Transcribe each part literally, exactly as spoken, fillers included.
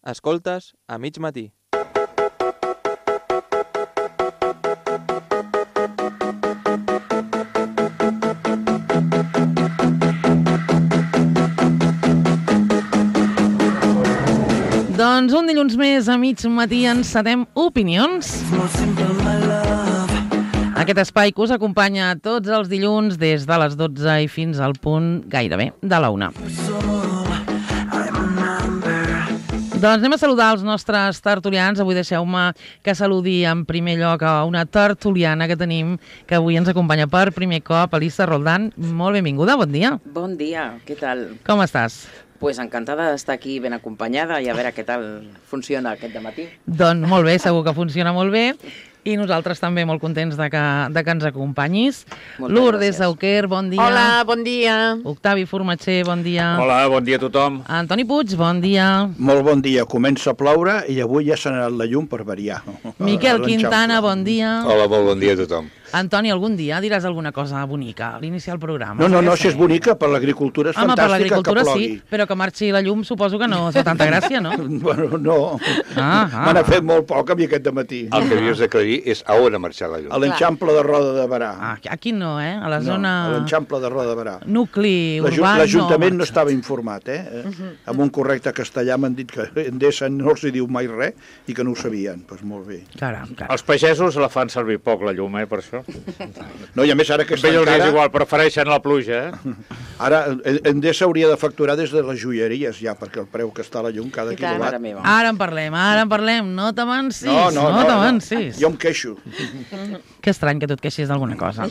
Escoltes a mig matí. Doncs un dilluns més a mig matí encetem Opinions. Aquest espai que us acompanya tots els dilluns des de les dotze i fins al punt gairebé de la una. Doncs anem a saludar els nostres tertulians. Avui deixeu-me que saludi en primer lloc a una tertuliana que tenim, que avui ens acompanya per primer cop, Elisa Roldán. Molt benvinguda, bon dia. Bon dia, què tal? Com estàs? Pues encantada d'estar aquí ben acompanyada i a veure què tal funciona aquest dematí. Doncs molt bé, segur que funciona molt bé. I nosaltres també molt contents de que, de que ens acompanyis. Moltes Lourdes gràcies. Auquer, bon dia. Hola, bon dia. Octavi Formatxer, bon dia. Hola, bon dia a tothom. Antoni Puig, bon dia. Molt bon dia. Comença a ploure i avui ja s'ha anat la llum per variar. Miquel Quintana, bon dia. Hola, molt bon dia a tothom. Antoni, algun dia diràs alguna cosa bonica a l'iniciar el programa? No, no, no, si és bonica, per l'agricultura és Home, per fantàstica l'agricultura que plogui. sí, però que marxi la llum suposo que no es fa tanta gràcia, no? Bueno, no. Ah, ah. Me n'ha fet molt poc a mi aquest dematí. El que havies d'aclarir és a on ha marxat la llum. A l'enxample de Roda de Barà. Ah, aquí no, eh? A la No, zona... a l'enxample de Roda de Barà. Nucli L'Aju- urbà L'Ajuntament no, no estava informat, eh? Uh-huh. Amb un correcte castellà m'han dit que Endesa no els hi diu mai res i que no ho sabien. Doncs pues molt bé. Caram, caram. Els pagesos la fan servir poc, la llum, eh, per això. No, i a més ara que A ells està és encara... igual, prefereixen la pluja, eh? Ara Endesa hauria de facturar des de les joieries ja, perquè el preu que està la llum cada I tant, quilowatt... mare meva. Ara en parlem, ara en parlem. No t'avancis, No, no, no, no. t'avancis. Jo em queixo. Que estrany que tu et queixis d'alguna cosa.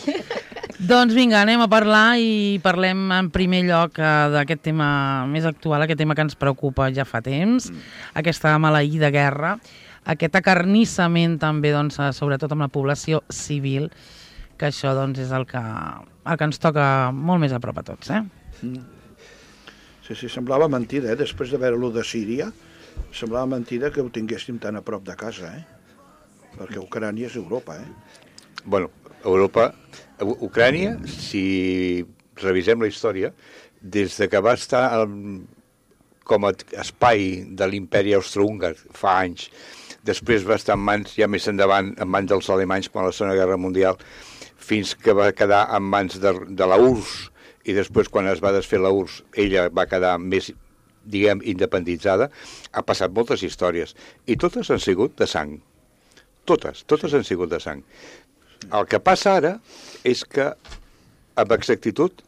Doncs vinga, anem a parlar i parlem en primer lloc eh, d'aquest tema més actual, aquest tema que ens preocupa ja fa temps, mm. aquesta maleïda guerra, aquest acarnissament també, doncs, eh, sobretot amb la població civil, que això doncs, és el que, el que ens toca molt més a prop a tots. Eh? Mm. Sí, sí, semblava mentida, eh? Després de veure-lo de Síria, semblava mentida que ho tinguéssim tan a prop de casa, eh? Perquè Ucrània és Europa, eh? Bueno, Europa... Ucrània, si revisem la història, des de que va estar el, com a espai de l'imperi austrohúngar fa anys, després va estar en mans, ja més endavant, en mans dels alemanys quan la Segona Guerra Mundial, fins que va quedar en mans de, de la U R S S, i després quan es va desfer la U R S S, ella va quedar més, diguem, independitzada. Ha passat moltes històries, i totes han sigut de sang. Totes, totes han sigut de sang. El que passa ara és que, amb exactitud,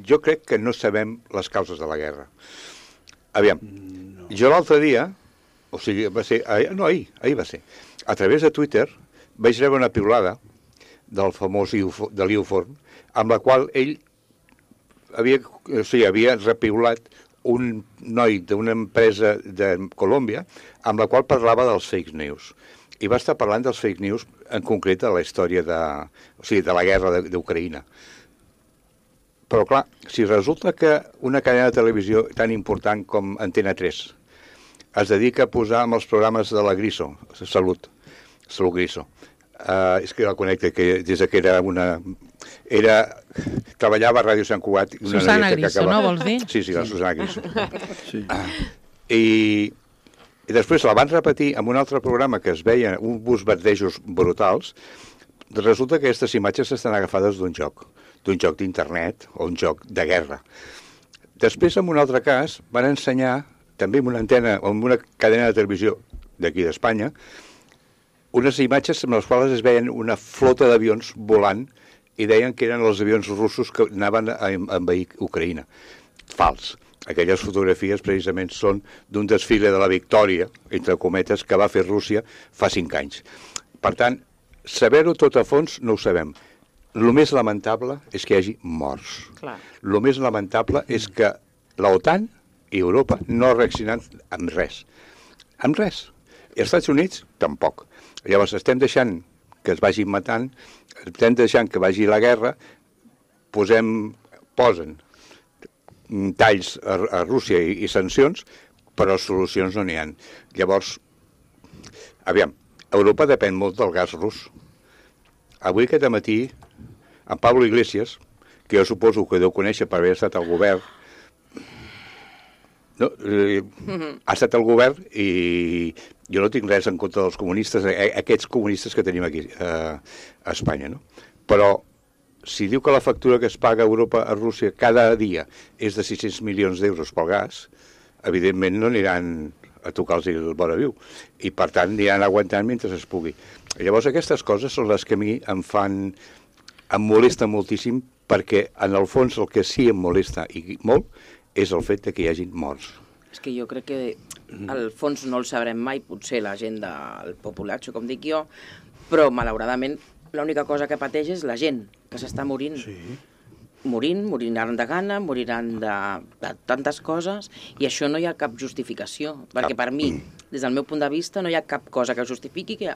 jo crec que no sabem les causes de la guerra. Aviam, no. Jo l'altre dia, o sigui, va ser, ahir, no, ahir, ahir va ser, a través de Twitter vaig rebre una piulada del famós de l'Iu Forn, amb la qual ell havia, o sigui, havia repiulat un noi d'una empresa de Colòmbia amb la qual parlava dels fake news. I va estar parlant dels fake news, en concret de la història de, o sigui, de la guerra d'Ucraïna. Però clar, si resulta que una cadena de televisió tan important com Antena tres es dedica a posar amb els programes de la Griso, Salut, Salut Griso, uh, és que la connecta, que des que era una... Era, treballava a Ràdio Sant Cugat. Una Susana Griso, acaba... no vols dir? Sí, sí, la Susana Griso. Sí. Uh, I... I després la van repetir en un altre programa que es veia uns bombardejos brutals. Resulta que aquestes imatges estan agafades d'un joc, d'un joc d'internet o un joc de guerra. Després, en un altre cas, van ensenyar, també en una antena o en una cadena de televisió d'aquí d'Espanya, unes imatges amb les quals es veien una flota d'avions volant i deien que eren els avions russos que anaven a envair Ucraïna. Fals. Aquelles fotografies precisament són d'un desfile de la victòria, entre cometes, que va fer Rússia fa cinc anys. Per tant, saber-ho tot a fons no ho sabem. El més lamentable és que hi hagi morts. El més lamentable és que l'OTAN i Europa no reaccionen amb res. Amb res. I els Estats Units, tampoc. Llavors estem deixant que es vagin matant, estem deixant que vagi la guerra, posem, posen talls a, a Rússia i, i sancions, però solucions no n'hi ha. Llavors, aviam, Europa depèn molt del gas rus. Avui aquest matí, en Pablo Iglesias, que jo suposo que deu conèixer per haver estat al govern, No, eh, ha estat el govern i jo no tinc res en contra dels comunistes, eh, aquests comunistes que tenim aquí eh, a Espanya, no? Però si diu que la factura que es paga a Europa a Rússia cada dia és de sis-cents milions d'euros pel gas, evidentment no aniran a tocar-los el vora viu. I, per tant, aniran aguantant mentre es pugui. Llavors, aquestes coses són les que a mi em fan... em molesta moltíssim, perquè, en el fons, el que sí em molesta i molt és el fet de que hi hagin morts. És que jo crec que al fons no el sabrem mai, potser la gent del populatxo, com dic jo, però malauradament l'única cosa que pateix és la gent, que s'està morint. Sí. Morint, moriran de gana, moriran de, de tantes coses, i això no hi ha cap justificació, perquè per mi, des del meu punt de vista, no hi ha cap cosa que justifiqui que,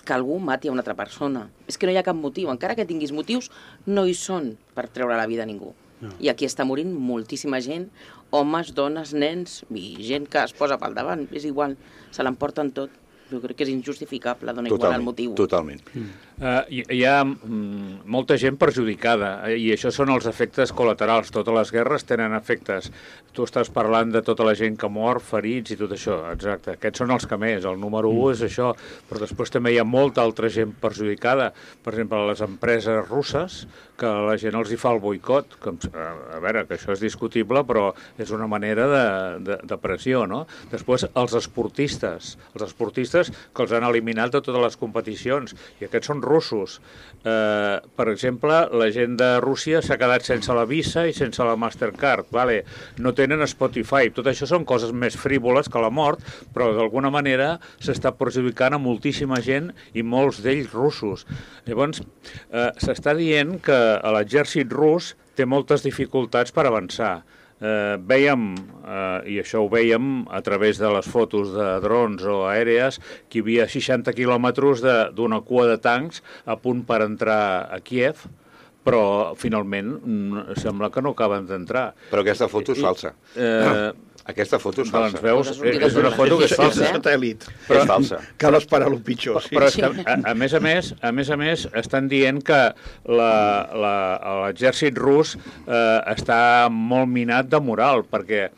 que algú mati a una altra persona. És que no hi ha cap motiu, encara que tinguis motius, no hi són per treure la vida a ningú. No. I aquí està morint moltíssima gent, homes, dones, nens, i gent que es posa pel davant, és igual, se l'emporten tot. Jo crec que és injustificable, dona igual el motiu. Totalment. Mm. Uh, hi, hi ha mm, molta gent perjudicada, eh, i això són els efectes col·laterals. Totes les guerres tenen efectes. Tu estàs parlant de tota la gent que mor, ferits i tot això, exacte. Aquests són els que més, el número mm. un és això, però després també hi ha molta altra gent perjudicada. Per exemple, les empreses russes, que la gent els hi fa el boicot, que, a veure, que això és discutible, però és una manera de, de, de pressió, no? Després, els esportistes, els esportistes que els han eliminat de totes les competicions, i aquests són russos. Eh, per exemple, la gent de Rússia s'ha quedat sense la Visa i sense la Mastercard, vale? No tenen Spotify. Tot això són coses més frívoles que la mort, però d'alguna manera s'està perjudicant a moltíssima gent i molts d'ells russos. Llavors, eh, s'està dient que l'exèrcit rus té moltes dificultats per avançar. Eh, veiem, eh, i això ho veiem a través de les fotos de drons o aèries, que hi havia seixanta quilòmetres d'una cua de tancs a punt per entrar a Kíev, però finalment mm, sembla que no acaben d'entrar. Però aquesta foto és falsa. Eh, Aquesta foto és falsa. Doncs veus, és una foto que és falsa. És satèl·lit. Però, és falsa. Cal esperar el pitjor. Sí. Però és que, a, a més a més, a més a més, estan dient que l'exèrcit rus eh, està molt minat de moral, perquè,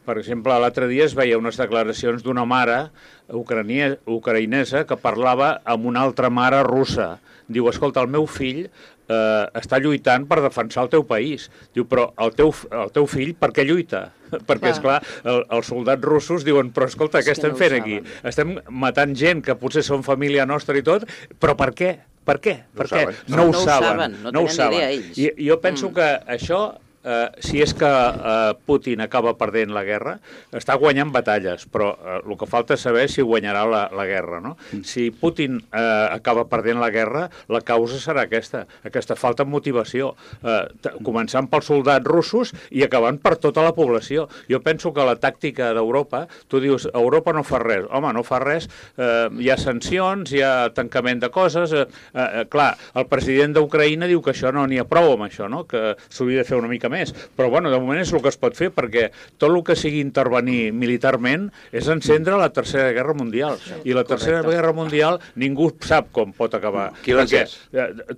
per exemple, l'altre dia es veia unes declaracions d'una mare ucrania, ucraïnesa que parlava amb una altra mare russa. Diu, escolta, el meu fill eh, està lluitant per defensar el teu país. Diu, però el teu, el teu fill per què lluita? Perquè, esclar, el, els soldats russos diuen, però escolta, què estem fent aquí? Estem matant gent que potser són família nostra i tot, però per què? Per què? Per què? No ho saben. No ho saben. I jo penso que això... Uh, si és que uh, Putin acaba perdent la guerra, està guanyant batalles, però uh, el que falta és saber si guanyarà la, la guerra, no? Si Putin uh, acaba perdent la guerra, la causa serà aquesta, aquesta falta de motivació, uh, començant pels soldats russos i acabant per tota la població. Jo penso que la tàctica d'Europa, tu dius, Europa no fa res, home, no fa res, uh, hi ha sancions, hi ha tancament de coses, uh, uh, clar, el president d'Ucraïna diu que això no n'hi ha prou amb això, no? Que s'hauria de fer una mica més, però bueno, de moment és el que es pot fer, perquè tot el que sigui intervenir militarment és encendre la Tercera Guerra Mundial, i la Tercera Correcte. Guerra Mundial ningú sap com pot acabar. Qui l'ha encès?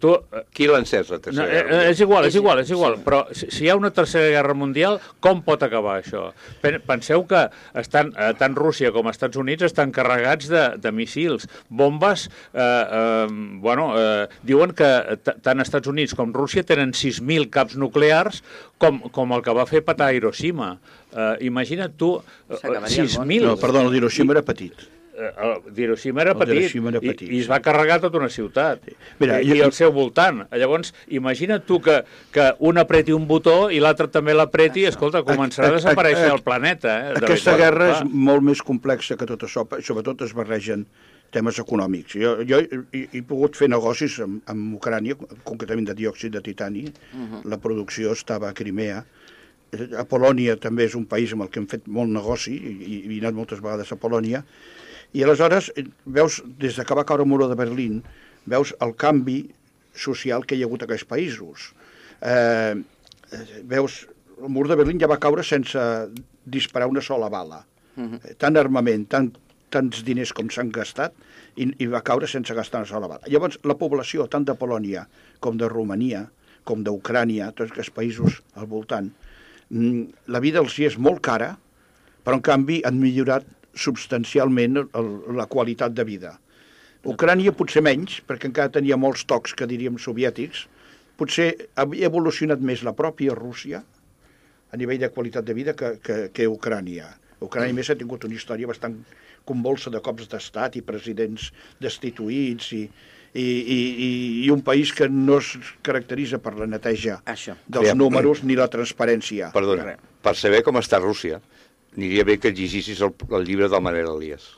Tu, Qui l'ha encès, la Tercera no, Guerra Mundial? és igual, és igual, és igual, però si, si hi ha una Tercera Guerra Mundial, com pot acabar això? Penseu que estan, tant Rússia com Estats Units estan carregats de, de missils, bombes, eh, eh, bueno, eh, diuen que tant Estats Units com Rússia tenen sis mil caps nuclears com, com el que va fer petar a Hiroshima. Uh, imagina't tu, uh, sis mil... No, perdó, el d'Hiroshima era petit. Uh, D'Hiroshima era, era petit, petit, i, i es va carregar tota una ciutat, sí. Mira, i, jo... i al seu voltant. Llavors, imagina't tu que, que un apreti un botó i l'altre també l'apreti, i escolta, començarà a desaparèixer el planeta. Eh, Aquesta guerra és molt més complexa que tot això, sobretot es barregen temes econòmics. Jo, jo he, he pogut fer negocis amb, amb Ucrània, concretament de diòxid de titani. Uh-huh. La producció estava a Crimea. A Polònia també és un país amb el que hem fet molt negoci, i, i he anat moltes vegades a Polònia. I aleshores, veus, des que va caure el mur de Berlín, veus el canvi social que hi ha hagut a aquests països. Eh, veus, el mur de Berlín ja va caure sense disparar una sola bala. Uh-huh. Tant armament, tant tants diners com s'han gastat, i, i va caure sense gastar una sola bala. Llavors, la població, tant de Polònia com de Romania, com d'Ucrània, tots aquests països al voltant, la vida els hi és molt cara, però en canvi han millorat substancialment el, la qualitat de vida. Ucrània potser menys, perquè encara tenia molts tocs que diríem soviètics, potser havia evolucionat més la pròpia Rússia a nivell de qualitat de vida que, que, que Ucrània. Ucrània més ha tingut una història bastant convulsa de cops d'estat i presidents destituïts i, i, i, i un país que no es caracteritza per la neteja Això. dels Aviam. números ni la transparència. Perdona, per saber com està Rússia, aniria bé que llegissis el, el llibre del Manel Elias.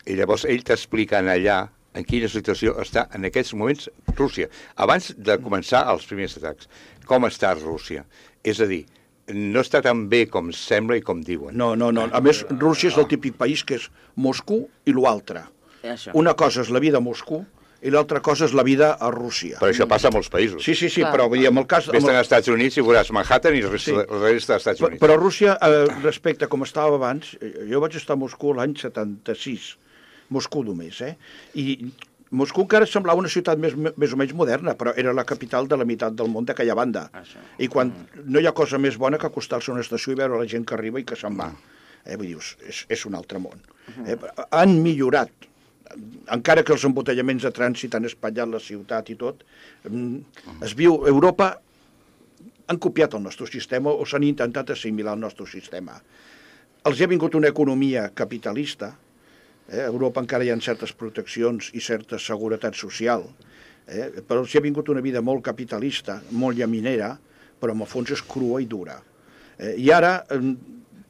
I llavors ell t'explica allà en quina situació està en aquests moments Rússia, abans de començar els primers atacs. Com està Rússia? És a dir, no està tan bé com sembla i com diuen. No, no, no. A més, Rússia és el típic país que és Moscou i l'altre. Això. Una cosa és la vida a Moscou i l'altra cosa és la vida a Rússia. Però això passa a molts països. Sí, sí, sí, Clar. però vull dir, en el cas... Vés amb el- als Estats Units i veuràs Manhattan i la resta, Sí. la resta dels Estats Però, Units. però Rússia, eh, respecte a com estava abans, eh, jo vaig estar a Moscou l'any setanta-sis, Moscou només, eh? I Moscou encara semblava una ciutat més, més o menys moderna, però era la capital de la meitat del món d'aquella banda. Això. I quan no hi ha cosa més bona que acostar-se a una estació i veure la gent que arriba i que se'n va. Eh, vull dir, és, és un altre món. Eh, han millorat, encara que els embotellaments de trànsit han espatllat la ciutat i tot, mm, es viu... Europa han copiat el nostre sistema o s'han intentat assimilar el nostre sistema. Els ha vingut una economia capitalista. Eh? A Europa encara hi ha certes proteccions i certa seguretat social, eh? però els ha vingut una vida molt capitalista, molt llaminera, però en el fons és crua i dura. Eh? I ara... Eh,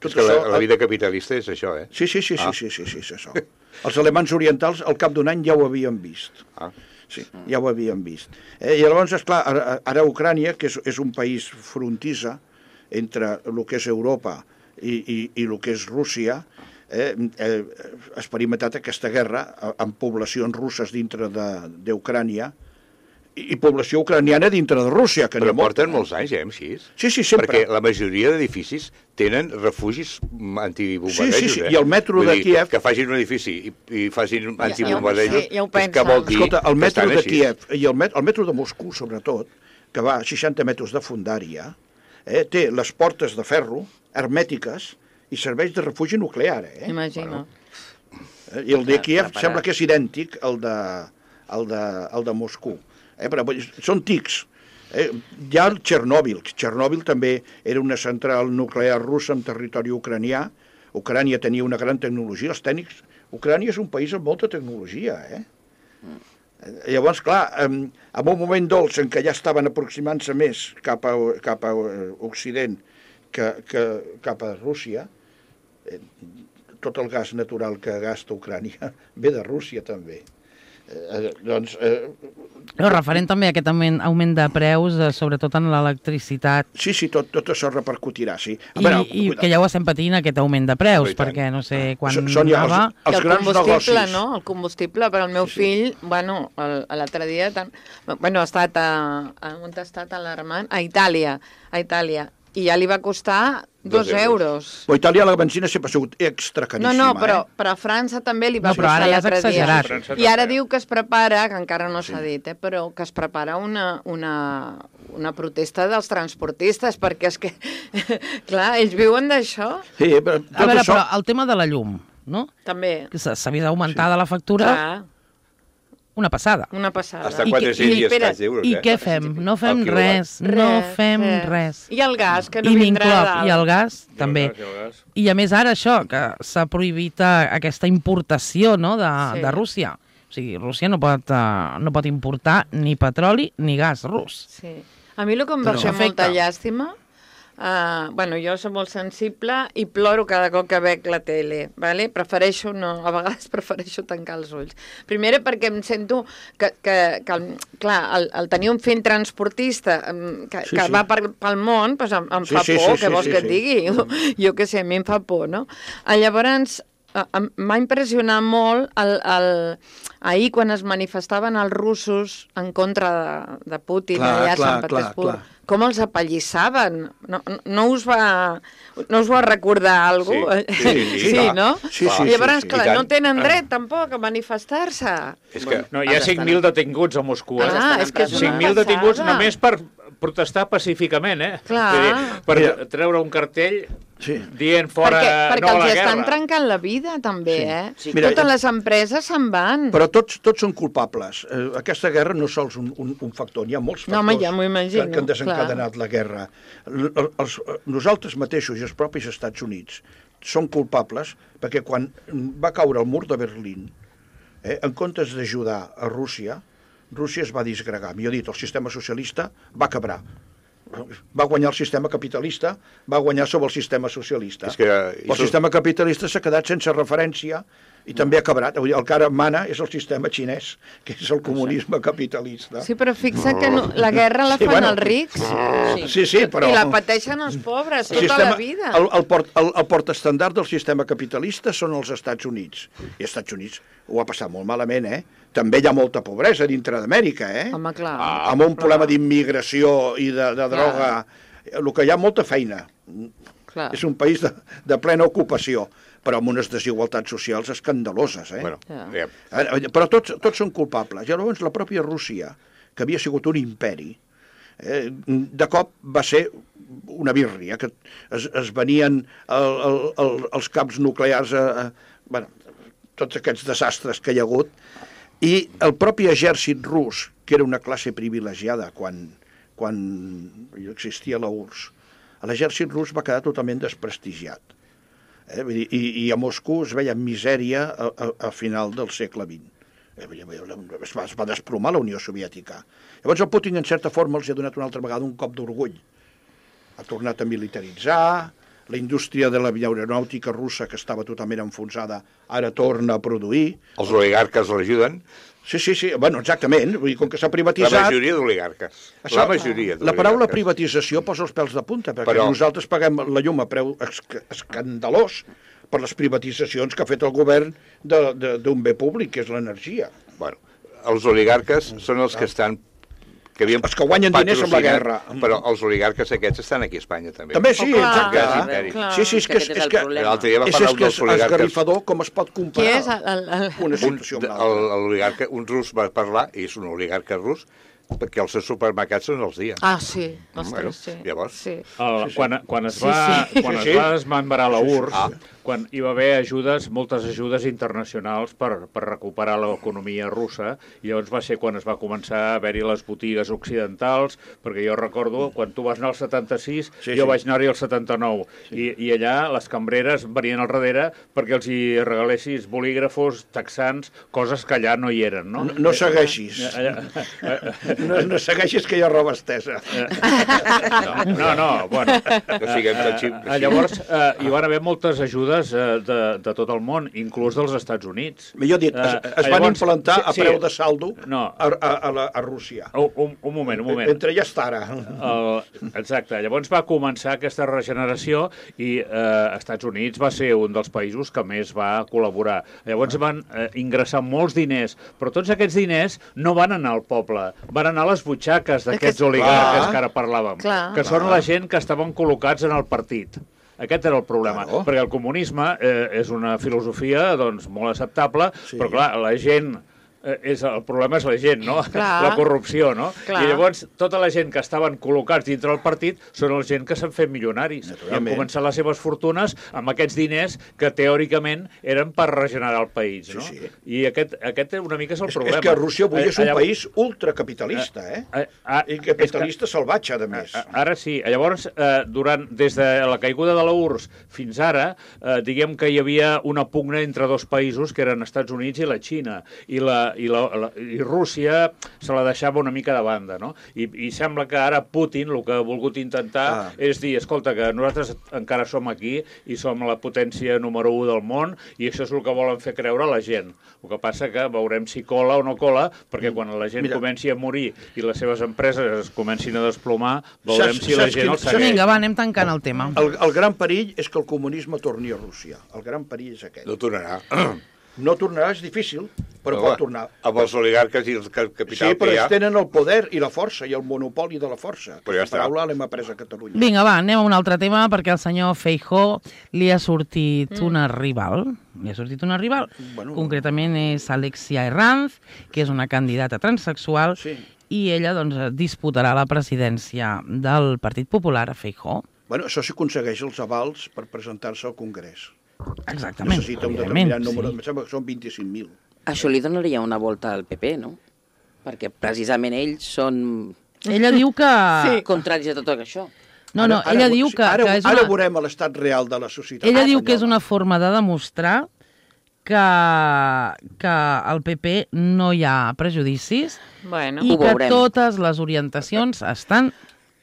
tot És que la, això... la vida capitalista és això, eh? Sí, sí, sí, sí, Ah. sí, sí, sí, és això. Els alemans orientals al cap d'un any ja ho havien vist. Ah. Sí, ja ho havien vist. Eh, I llavors, esclar, ara, ara Ucrània, que és, és un país frontissa entre el que és Europa i, i, i el que és Rússia, eh, eh, ha experimentat aquesta guerra amb poblacions russes dintre d'Ucrània i, i població ucraniana dintre de Rússia, que Però n'hi ha molta, porten molts anys, eh, així. Sí, sí, sempre. Perquè la majoria d'edificis tenen refugis antibombardejos, Sí, sí, sí, eh? i el metro Vull de dir, Kíev- Que facin un edifici i, i facin Ja- antibombardejos, ja ho- ja ho és que pensen. vol dir Escolta, el que metro estan de així. Kíev i el, met, el metro de Moscou, sobretot, que va a seixanta metres de fundària, eh, té les portes de ferro hermètiques i serveix de refugi nuclear. Eh? Imagina. Eh, I el de Ah, Kíev preparat. sembla que és idèntic al de, al de, al de Moscou. Eh? Però vull dir, són tics. Eh? Hi ha el Txernòbil. Txernòbil també era una central nuclear russa en territori ucranià. Ucrània tenia una gran tecnologia. Els tècnics... Ucrània és un país amb molta tecnologia, eh? Eh, Llavors, clar, en, en un moment dolç en què ja estaven aproximant-se més cap a, cap a eh, Occident que, que cap a Rússia, eh, tot el gas natural que gasta Ucrània ve de Rússia també. Eh, doncs, eh, Però referent també a aquest augment, augment de preus, eh, sobretot en l'electricitat, sí, sí, tot, tot això repercutirà, sí. i, i que ja ho estem patint, aquest augment de preus, Oh, i tant. perquè no sé quan Són- són ja els- anava... I els el grans combustible, negocis. no? El combustible per al meu Sí, sí. fill, bueno, el- l'altre dia, tan... bueno, ha estat a, a, on ha estat alarmant? A Itàlia, a Itàlia. I ja li va costar dos, Dos euros. euros. Però a Itàlia la benzina sempre ha sigut extra No, caríssima. no, però, Eh? però a França també li va No, però costar ara ja és l'altre dia. exagerat. França I ara també. diu que es prepara, que encara no s'ha dit, eh, però que es prepara una, una, una protesta dels transportistes, perquè és que, clar, ells viuen d'això, Sí, però tot A veure, això... però el tema de la llum, no? també. Que s'ha s'ha vist augmentada la factura, Clar, una passada. una passada. Hasta I quatre-cents i- i espera, escaig d'euros, I eh? què fem? No fem El quilowatt. res, no fem res. I el gas, que no I vindrà m'incloc, dalt. i el gas I el també. gas, i el gas. I a més ara això, que s'ha prohibit eh, aquesta importació, no?, de, Sí. de Rússia. O sigui, Rússia no pot, uh, no pot importar ni petroli ni gas rus. Sí. A mi el que em va Però fer molta afecta. llàstima, uh, bueno, jo soc molt sensible i ploro cada cop que veig la tele, vale? Prefereixo no, a vegades prefereixo tancar els ulls. Primera perquè em sento que, que, que el, clar, el, el tenir un fill transportista em, que, Sí, que sí. va per, pel món, doncs em, em Sí, fa sí, por, sí, què sí, vols sí, que sí. et digui? Jo, jo què sé, a mi em fa por, no? Ah, Llavors, eh, em- m'ha impressionat molt el, el, ahir quan es manifestaven els russos en contra de, de Putin Clar, allà a clar, Sant clar, Petersburg, clar. com els apallissaven. No, no, no us va no us va recordar alguna cosa? Sí, sí, sí, sí, clar. no? Sí, sí, I llavors, sí, sí. clar, I tant. no tenen dret tampoc a manifestar-se. És que No, hi ha Els cinc mil detinguts a Moscou, eh? Ah, és que és una cinc mil detinguts passada. només per, protestar pacíficament, eh? Clar. Vull dir, per Mira. treure un cartell Sí. dient fora perquè perquè no a els la estan guerra. trencant la vida, també, Sí. eh? Sí. Mira, Totes les empreses se'n van. Però tots, tots són culpables. Eh, aquesta guerra no és sols un, un, un factor, n'hi ha molts No, factors home, ja m'ho imagino, que, que han desencadenat la guerra. L, els, nosaltres mateixos i els propis Estats Units són culpables perquè quan va caure el mur de Berlín, eh, en comptes d'ajudar a Rússia, Rússia es va disgregar. Millor dit, el sistema socialista va quebrar. Va guanyar el sistema capitalista, va guanyar sobre el sistema socialista. És que, el sistema capitalista s'ha quedat sense referència i també ha quebrat. Vull dir, el que ara mana és el sistema xinès, que és el comunisme capitalista. Sí, però fixa't que no, la guerra la Sí, fan bueno. els rics. Sí, sí, però... I la pateixen els pobres el tota sistema, la vida. El, el, port, el, el portestandard del sistema capitalista són els Estats Units. I els Estats Units ho ha passat molt malament, eh? També hi ha molta pobresa dintre d'Amèrica, eh? Home, clar. Ah, amb un problema d'immigració i de, de droga. El que hi ha molta feina. clar. És un país de, de plena ocupació, però amb unes desigualtats socials escandaloses, eh? Bueno, Ja. ja. Eh, Però tots, tots són culpables. I llavors la pròpia Rússia, que havia sigut un imperi, eh, de cop va ser una birria, que es, es venien el, el, el, els camps nuclears, a, a, bueno, tots aquests desastres que hi ha hagut, i el propi exèrcit rus, que era una classe privilegiada quan, quan existia la U R S S, l'exèrcit rus va quedar totalment desprestigiat. Eh? Vull dir, i, I a Moscou es veia misèria a, a, a final del segle vint. Eh? Vull dir, es, va, es va desplomar la Unió Soviètica. Llavors el Putin, en certa forma, els ha donat una altra vegada un cop d'orgull. Ha tornat a militaritzar, la indústria de l'aeronàutica russa, que estava totalment enfonsada, ara torna a produir. Els oligarques l'ajuden. Sí, sí, sí, bueno, exactament. Vull dir, com que s'ha La privatitzat... majoria d'oligarques. Això, La majoria La paraula d'oligarques. privatització posa els pèls de punta, perquè Però- nosaltres paguem la llum a preu esc- escandalós per les privatitzacions que ha fet el govern de- de- d'un bé públic, que és l'energia. Bueno, els oligarques són els que estan... Que havien Els que guanyen diners amb la patrocinat, guerra. Però els oligarques aquests estan aquí a Espanya, també. També sí, Oh, clar, exacte. clar, imperi. clar. Sí, sí, és que és, Aquest és és el que problema. L'altre dia va és, parlar és un que dels és oligarques. esgarrifador com es pot Qui comparar és el, el, el... una Un, situació amb el, l'altra. l'oligarca, un rus va parlar, i és un oligarca rus, perquè els seus supermercats són els dies. Ah, sí. Ostres, Bueno, sí. llavors. Sí. El, Sí, sí. Quan, quan es Sí, va, sí. quan Sí, es sí. va desmembrar la Sí, sí. U R S S, quan hi va haver ajudes, moltes ajudes internacionals per, per recuperar l'economia russa, i llavors va ser quan es va començar a haver-hi les botigues occidentals, perquè jo recordo, quan tu vas anar al setanta-sis, Sí, jo sí. vaig anar-hi al setanta-nou, i, i allà les cambreres venien al darrere perquè els hi regalessis bolígrafos, texans, coses que allà no hi eren, no? No, no segueixis. Allà, No, no segueixis que hi ha roba estesa. no, no, bueno. No siguem tan xip. Eh, llavors, eh, hi van haver moltes ajudes eh, de, de tot el món, inclús dels Estats Units. Millor dit, es, Eh, es van llavors, implantar sí, a sí. preu de saldo No. a, a, a, la, a Rússia. Un, un, un moment, un moment. Entre ja està ara. El, exacte. Llavors va començar aquesta regeneració i eh, Estats Units va ser un dels països que més va col·laborar. Llavors van eh, ingressar molts diners, però tots aquests diners no van anar al poble, van anar a les butxaques d'aquests Aquest- oligarques Clar. que ara parlàvem, Clar. que són la gent que estaven col·locats en el partit. Aquest era el problema, Claro. perquè el comunisme eh, és una filosofia doncs, molt acceptable, Sí. però clar, la gent... eh, És, el problema és la gent, no? Clar. La corrupció, no? Clar. I llavors tota la gent que estaven col·locats dintre del partit són la gent que s'han fet milionaris i han Naturalment. començat les seves fortunes amb aquests diners que teòricament eren per regenerar el país, no? Sí, sí. I aquest, aquest una mica és el És, problema. és que Rússia avui Eh, és un llavors- país ultracapitalista, eh? Eh, ah, I capitalista salvatge, a més. a- Ara sí. Llavors, eh, durant, des de la caiguda de la U R S S fins ara, eh, diguem que hi havia una pugna entre dos països, que eren Estats Units i la Xina, i, la, i, la, la, i Rússia se la deixava una mica de banda, no? I, i sembla que ara Putin el que ha volgut intentar Ah. és dir, escolta, que nosaltres encara som aquí i som la potència número u del món i això és el que volen fer creure a la gent. El que passa que veurem si cola o no cola, perquè quan la gent Mira. comenci a morir i les seves empreses es comencin a desplomar, veurem Saps- si la saps gent quin- el saps- segueix. Vinga, va, anem tancant el tema. El, el gran perill és que el comunisme torni a Rússia. El gran perill és aquest. No tornarà. No tornarà, és difícil. però Home, pot tornar. Amb els oligarques i el capital Sí, però que hi ha... ells tenen el poder i la força, i el monopoli de la força. Però ja Aquesta està. paraula l'hem après a Catalunya. Vinga, va, anem a un altre tema, perquè al senyor Feijóo li ha sortit mm. una rival. Li ha sortit una rival. Bueno. Concretament és Alexia Herranz, que és una candidata transsexual, Sí. i ella doncs, disputarà la presidència del Partit Popular a Feijóo. Bueno, això si aconsegueix els avals per presentar-se al Congrés. Exactament. Necessita un evidentment, determinat número, sí. em sembla que són vint-i-cinc mil. Això li donaria una volta al P P, no? Perquè precisament ells són Ella diu que... sí. contraris a tot això. No, no, Ara- ella ara- diu que, ara, que és Ara una... veurem a l'estat real de la societat. Ella espanyola. diu que és una forma de demostrar que, que al P P no hi ha prejudicis Bueno, i Ho que veurem. totes les orientacions estan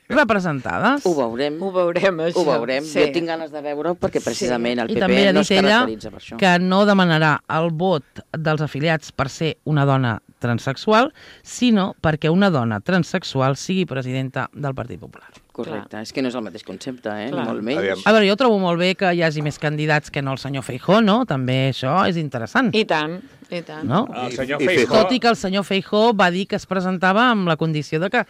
representades. Ho veurem. ho veurem, això. Ho veurem. Sí. Jo tinc ganes de veure-ho perquè precisament el I P també P ha no dit es ella caracteritza per això. que no demanarà el vot dels afiliats per ser una dona transsexual, sinó perquè una dona transsexual sigui presidenta del Partit Popular. Correcte. Clar. És que no és el mateix concepte, eh? Clar. Ni molt menys. Aviam. A veure, jo trobo molt bé que hi hagi més candidats que no el senyor Feijóo, no? També això és interessant, I tant, i tant. no? El senyor I- i Feijóo... Tot i que el senyor Feijóo va dir que es presentava amb la condició de que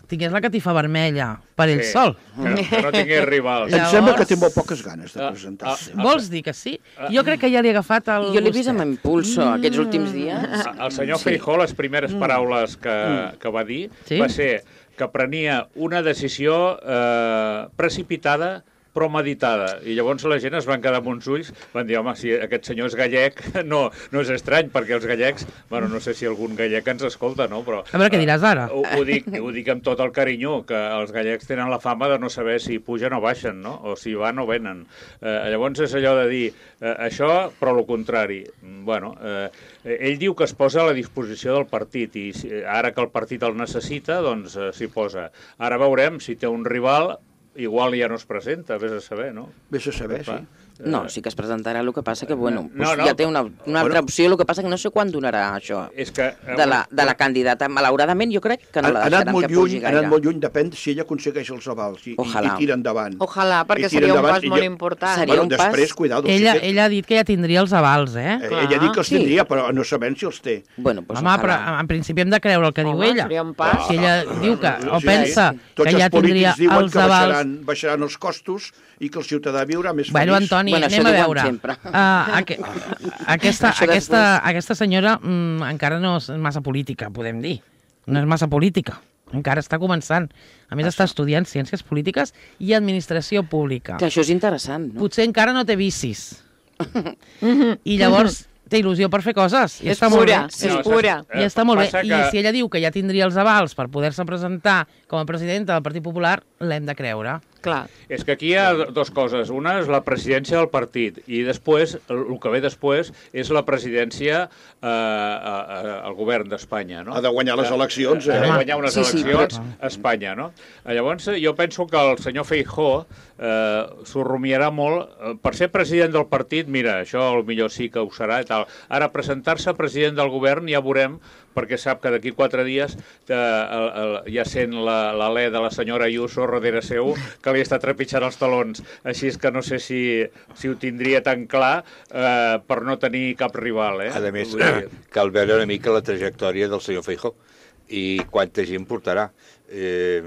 tingués la catifa vermella per ell Sí, sol. Que, que no tingués rivals. Em Llavors- sembla que té molt poques ganes de Ah, presentar-se. ah, Vols dir que sí? Jo crec que ja li ha agafat el Jo l'he vist amb gustet. impulso aquests últims dies. El senyor Feijóo, les primeres paraules que, que va dir Sí? va ser que prenia una decisió eh, precipitada però meditada. I llavors la gent es van quedar amb uns ulls, van dir, home, si aquest senyor és gallec, no, no és estrany, perquè els gallecs, bueno, no sé si algun gallec ens escolta, no? Però, A veure què diràs ara. Ho, ho, dic, ho dic amb tot el carinyo, que els gallecs tenen la fama de no saber si pugen o baixen, no? O si van o venen. Eh, llavors és allò de dir eh, això, però el contrari. Bueno, eh, ell diu que es posa a la disposició del partit i si, ara que el partit el necessita, doncs eh, s'hi posa. Ara veurem si té un rival, igual ja no es presenta, vés a saber, no? Vés a saber, sí. No, sí que es presentarà, el que passa que, bueno, No, pues no, ja té una, una altra bueno. opció, el que passa que no sé quan donarà això. És que... eh, De la, de la candidata, malauradament, jo crec que no Ha, la ha anat deixaran molt que pugi lluny, ha gaire. anat molt lluny, depèn si ella aconsegueix els avals i, i, Ojalà. i tira endavant. Ojalà, perquè I tira seria un endavant, pas i molt jo- important. Seria Bueno, un pas- després, cuidado. Ella, si té- ella ha dit que ja tindria els avals, eh? eh, Clar. ella ha dit que els Sí. tindria, però no sabem si els té. Bueno, pues Home, ojalà. però en principi hem de creure el que Home, diu ella. seria un pas. Si ella diu que, o Sí, pensa sí. Tots que ja els polítics tindria diuen els que avals... baixaran, baixaran els costos i que el ciutadà viurà més Bueno, feliç. Antoni, Bueno, anem això a diuen veure. sempre. Uh, aqu aquesta, Això aquesta, després. aquesta senyora mm, encara no és massa política, podem dir. No és massa política. Encara està començant. A més, està estudiant Ciències Polítiques i Administració Pública. Que això és interessant, no? Potser encara no té vicis. I llavors té il·lusió per fer coses. I És està molt pura, bé. és No, pura. I està molt bé. Passa I que- si ella diu que ja tindria els avals per poder-se presentar com a presidenta del Partit Popular, l'hem de creure. Clar. És que aquí hi ha dues coses. Una és la presidència del partit i després, el, el que ve després, és la presidència eh, eh, al govern d'Espanya, no? Ha de guanyar les eleccions, Ha de eh? guanyar unes Sí, sí, eleccions a Espanya, no? Llavors, jo penso que el senyor Feijóo eh, s'ho rumiarà molt. Eh, Per ser president del partit, mira, això millor sí que ho serà i tal. Ara, presentar-se president del govern ja veurem, perquè sap que d'aquí quatre dies eh, el, el, ja sent l'alè de la senyora Ayuso darrere seu, que li està trepitjant els talons. Així és que no sé si, si ho tindria tan clar eh, per no tenir cap rival. Eh? A més, Vull dir, cal veure una mica la trajectòria del senyor Feijóo i quanta gent portarà. Eh,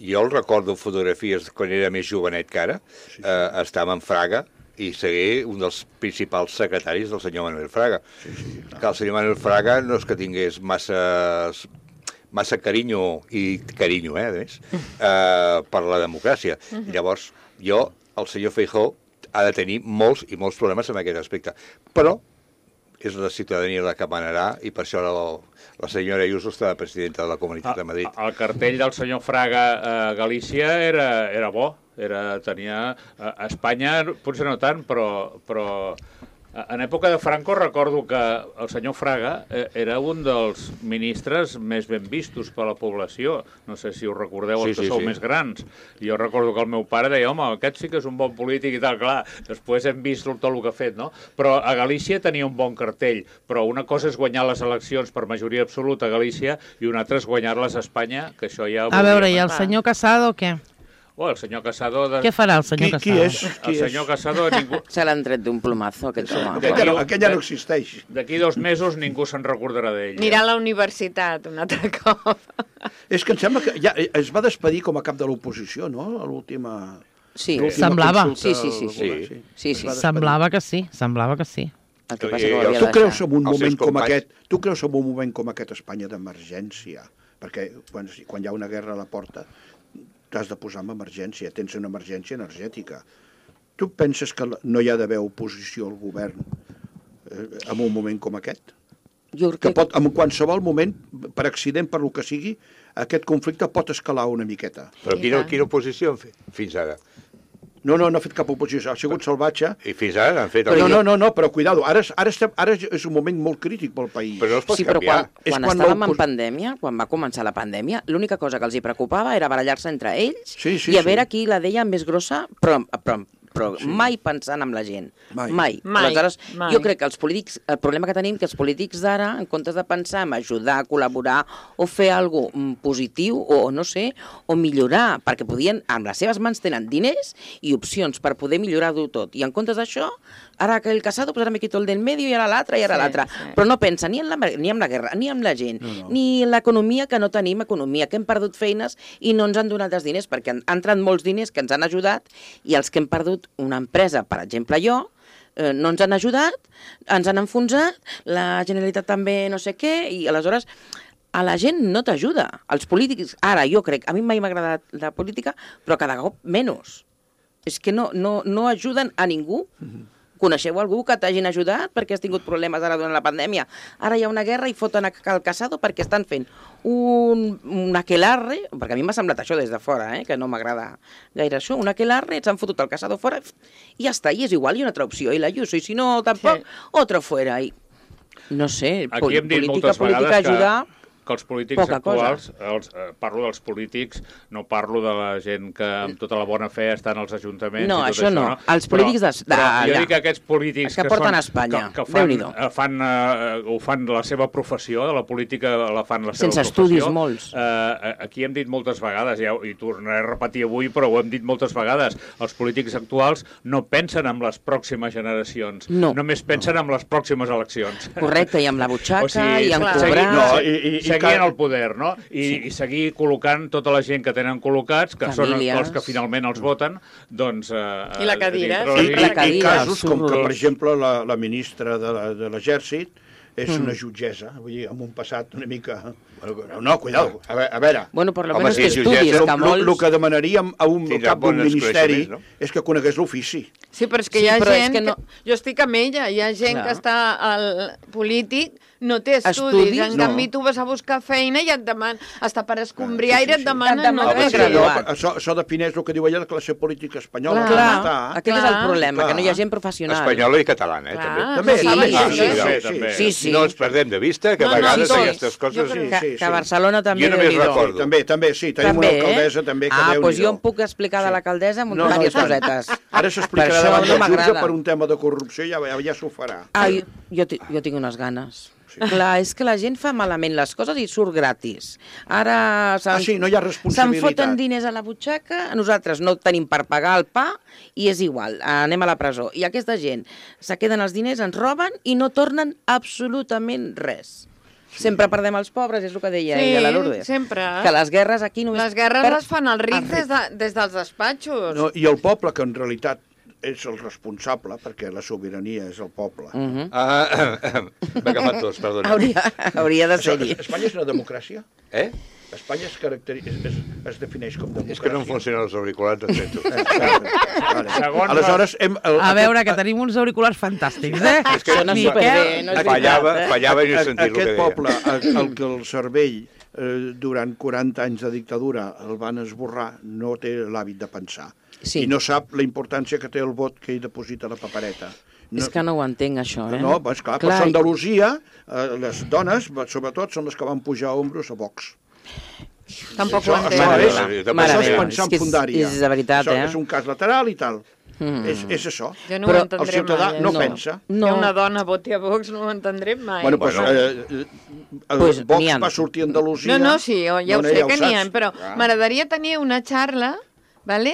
jo el recordo fotografies quan era més jovenet que ara, eh, estava en Fraga i seguir un dels principals secretaris del senyor Manuel Fraga. Sí, sí, no. Que el senyor Manuel Fraga no és que tingués massa, massa carinyo, i carinyo, eh, a més, eh, per la democràcia. I llavors, jo, el senyor Feijóo, ha de tenir molts i molts problemes en aquest aspecte. Però és la ciutadania la que manarà i per això la, la senyora Ayuso està de presidenta de la Comunitat de Madrid. El cartell del senyor Fraga a Galícia era, era bo, era, tenia... A Espanya potser no tant, però, però en època de Franco recordo que el senyor Fraga era un dels ministres més ben vistos per la població. No sé si us recordeu, els Sí, que sí, sou sí. més grans. Jo recordo que el meu pare deia, home, aquest sí que és un bon polític i tal, clar. Després hem vist tot el que ha fet, no? Però a Galícia tenia un bon cartell. Però una cosa és guanyar les eleccions per majoria absoluta a Galícia i una altra és guanyar-les a Espanya, que això ja... A veure, i el Va. senyor Casado, què? Oh, el senyor Casado... De... Què farà el senyor Qui- Casado? qui és? El senyor Casado, ningú... Se l'han tret d'un plomazo, aquest home. Aquell ja no, aquell ja no existeix. D'aquí dos mesos ningú se'n recordarà d'ell. Anirà a la universitat un altre cop. És que em sembla que ja es va despedir com a cap de l'oposició, no? A l'última... Sí, l'última Semblava. consulta Sí, sí, sí, al sí. govern, Sí, sí. Es va despedir. Semblava que sí, semblava que sí. el que I- passa i que ho el- havia Tu de creus deixar. en un Els seus moment com companys. aquest, tu creus en un moment com aquest a Espanya d'emergència? Perquè quan, quan hi ha una guerra a la porta t'has de posar en emergència, tens una emergència energètica. Tu penses que no hi ha d'haver oposició al govern eh, en un moment com aquest? Jo Que crec pot, en qualsevol moment, per accident, per lo que sigui, aquest conflicte pot escalar una miqueta. Però I quina, tant. quina oposició han fet fins ara? No, no, no ha fet cap oposició, ha sigut salvatge. I fins ara han fet... Però el- no, no, no, però cuidado, ara, és- ara, estem, ara és un moment molt crític pel país. Però no es pot Sí, però canviar. quan, És quan, quan estàvem l'opos- en pandèmia, quan va començar la pandèmia, l'única cosa que els hi preocupava era barallar-se entre ells Sí, sí, i a veure sí. qui la deia més grossa, però, però, però sí. mai pensant en la gent. Mai. Mai. Mai, Aleshores, mai. jo crec que els polítics, el problema que tenim que els polítics d'ara, en comptes de pensar en ajudar, col·laborar o fer alguna cosa positiu o no sé, o millorar, perquè podien, amb les seves mans tenen diners i opcions per poder millorar-ho tot. I en comptes d'això, ara aquell Casado, pues ara me quito el del medio i ara l'altre i ara Sí, l'altre. sí. Però no pensa ni en, la, ni en la guerra, ni en la gent, no, no. ni en l'economia, que no tenim economia, que hem perdut feines i no ens han donat els diners, perquè han, han entrat molts diners que ens han ajudat i els que hem perdut una empresa, per exemple jo, eh, no ens han ajudat, ens han enfonsat, la Generalitat també no sé què, i aleshores a la gent no t'ajuda. Els polítics, ara jo crec, a mi mai m'ha agradat la política, però cada cop menys. És que no, no, no ajuden a ningú. Coneixeu algú que t'hagin ajudat perquè has tingut problemes ara durant la pandèmia? Ara hi ha una guerra i foten a el Casado perquè estan fent un, un aquelarre, perquè a mi m'ha semblat això des de fora, eh, que no m'agrada gaire això, un aquelarre, ens han fotut el Casado fora i ja està, i és igual, hi ha una altra opció, i la Ayuso, i si no, tampoc, Sí. otro fuera. I, no sé, Aquí pol- hem dit política, moltes política, vegades que, ajudar... que els polítics poca actuals, els, eh, parlo dels polítics, no parlo de la gent que amb tota la bona fe està en els ajuntaments No, i tot això no. Els polítics de- de- però jo allà. dic que aquests polítics Que porten són, a Espanya. que, que fan, Déu-n'hi-do. eh, fan, eh, ho fan la seva professió, de la política la fan la seva Sense professió. estudis, molts. Eh, aquí hem dit moltes vegades, ja, i tornaré a repetir avui, però ho hem dit moltes vegades, els polítics actuals no pensen en les pròximes generacions, No. només pensen en les pròximes eleccions. Correcte, i amb la butxaca, i en clar. cobrar... seguir, No, no, i- i- i seguir cal- en el poder, no? I, sí. i seguir col·locant tota la gent que tenen col·locats, que Famílies. són els que finalment els voten, doncs... Eh, I la cadira, dintre I, la i, la i cadira, casos com que, surt- per exemple, la, la ministra de la- de l'Exèrcit és una jutgessa, vull dir, amb un passat una mica... No, no, cuidado, a veure... A veure. Bueno, por lo Home, menos si que és estudis, jutgessa, que El molts... que demanaríem a un Tindrà cap d'un bons ministeri coneixements, no? és que conegués l'ofici. Sí, però és que Sí, hi ha però és gent que que, no- Jo estic amb ella, hi ha gent Clar. que està al polític, no té estudis, Estudis? en No. canvi tu vas a buscar feina i et demanen, hasta per escombrir Ah, sí, aire sí, et sí. demanen... Et demanen no que res. graduat. Això, això, això defineix el que diu ella la classe política espanyola. Clar, com clar, està. aquest és el Clar. problema, Clar. que no hi ha gent professional. Espanyola i catalana, eh, Clar. també. També, Sí, també, sí, sí, sí, sí, sí, sí, també. Sí, sí. No ens perdem de vista que a No, no, vegades tots. aquestes coses... Jo crec Que, sí, que sí. a Barcelona també, Jo només Déu-n'hi-do. recordo. També, també, sí, tenim També, una alcaldessa també que Ah, Déu-n'hi-do. doncs jo em puc explicar de l'alcaldessa amb No, no, diverses i tant. cosetes. Ara Per s'explicarà això davant no del jutge m'agrada. per un tema de corrupció i ja, ja, ja s'ho farà. Ah, jo, jo, ti- jo tinc unes ganes. Sí. Clar, és que la gent fa malament les coses i surt gratis. Ara se'n Ah, sí, no hi ha se'n responsabilitat. foten diners a la butxaca, nosaltres no tenim per pagar el pa i és igual, anem a la presó. I aquesta gent se queden els diners, ens roben i no tornen absolutament res. Sempre perdem els pobres, és el que deia Sí, ella, la Lourdes. sempre. Que les guerres aquí només... Les guerres per- les fan els rics els des, de, des dels despatxos. No, I el poble, que en realitat és el responsable, perquè la sobirania és el poble. Mhm. Ah, m'he agafat tots, perdona. Hauria, hauria de Això, ser-hi. Espanya és una democràcia? Eh? Espanya es, caracteri... es, es, es defineix com democràcia. És que no em funcionen els auriculars, et sento. Vale. Segons Aleshores, hem, el, A veure, que tenim uns auriculars fantàstics, eh? És que Sona Miquel, superbé, no és fallava, veritat, eh? fallava i no he aquest, sentit el que aquest deia. poble, el, el que el cervell eh, durant quaranta anys de dictadura el van esborrar, no té l'hàbit de pensar. Sí. I no sap la importància que té el vot que hi deposita la papereta. No, És que no ho entenc, això, eh? no, pues clar, Clar, per Andalusia, eh, les dones, sobretot, són les que van pujar a ombros a Vox. Tampoc Això, ho això, entenc. és, Mare això meva, és és pensar en que és- fundària. és de veritat, això eh? és un cas lateral i tal. Mm. És, és això. Jo no Però ho El entendré ciutadà mai. no, no. pensa. No. Que una dona voti a Vox no ho entendré mai. Bueno, pues, Bueno. eh, eh, el Pues Vox n'hi ha. va sortir a Andalusia. No, no, sí, jo ja No, ho no, sé ja que n'hi ha, saps. però Ah. m'agradaria tenir una xarra vale?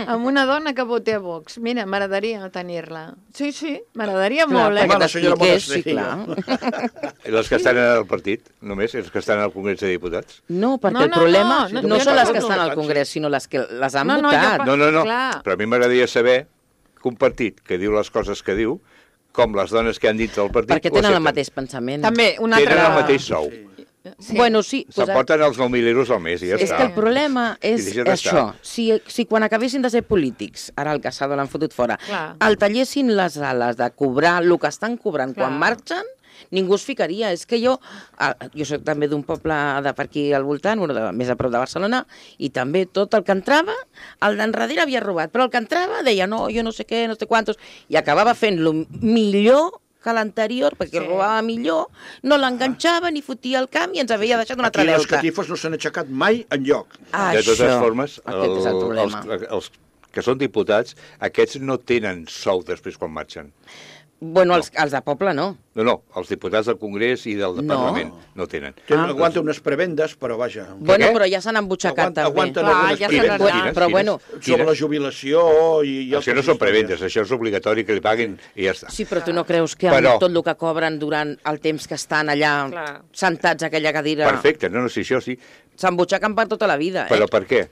amb una dona que voti a Vox. Mira, m'agradaria tenir-la. Sí, sí, m'agradaria molt, eh? Perquè la senyora t'expliqués, sí, Monasterio. clar. Les que estan en el partit, només, els que estan al Congrés de Diputats. No, perquè No, el no, problema no, no, no, són jo les no, que estan no, al Congrés, sinó les que les han No, no, jo votat. pa- No, no, no, Clar. però a mi m'agradaria saber que un partit que diu les coses que diu, com les dones que han dit del partit... Perquè ho tenen el accepten. mateix pensament. També, una altra... Tenen el mateix sou. Sí. Bueno, sí. Pues, S'emporten els nou mil euros al mes i ja és està. que el problema és I deixa d'estar. això. Si, si quan acabessin de ser polítics, ara el Casado l'han fotut fora, Clar. el tallessin les ales de cobrar el que estan cobrant Clar. quan marxen, ningú es ficaria. És que jo, ah, jo soc també d'un poble de per aquí al voltant, bueno, de, més a prop de Barcelona, i també tot el que entrava, el d'enrere havia robat, però el que entrava deia no, jo no sé què, no sé quantos, i acabava fent-lo millor que l'anterior, perquè Sí. robava millor, no l'enganxava ni fotia el camp i ens havia deixat un altre Aquí les deute. catifes no s'han aixecat mai enlloc. Ah, De totes això, formes, aquest és el problema. els, els que són diputats, aquests no tenen sou després quan marxen. Bueno, els, els de poble no. No, no, els diputats del Congrés i del No. Parlament no tenen. Tenen, Ah. aguanta unes prebendes, però vaja. Bueno, què? però ja s'han embutxacat Aguanta, també. aguanten Clar, algunes ja se prebendes. n'han Quines? Però Quines? bueno, Sobre la jubilació i... i Això altres no són històries. prebendes, això és obligatori que li paguin i ja està. sí, però tu no creus que amb Però- tot el que cobren durant el temps que estan allà Clar. sentats a aquella cadira Perfecte, no, no, sí, això sí. s'embutxaquen per tota la vida, eh? Però per què?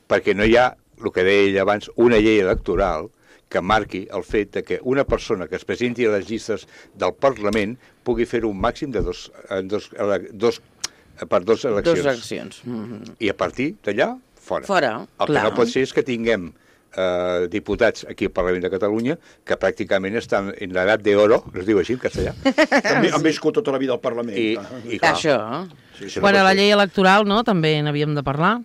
Perquè no hi ha, el que deia ella abans, una llei electoral que marqui el fet de que una persona que es presenti a les llistes del Parlament pugui fer-ho un màxim de dos, en dos, ele- dos, per dos eleccions. Dos accions. Mm-hmm. I a partir d'allà, fora. Fora, El clar. que no pot ser és que tinguem eh, diputats aquí al Parlament de Catalunya que pràcticament estan en l'edat d'oro, es diu així en castellà, Han, vi- han viscut tota la vida al Parlament. i, i clar, Això. Sí, això no Bueno, pot la ser. llei electoral, no?, també n'havíem de parlar.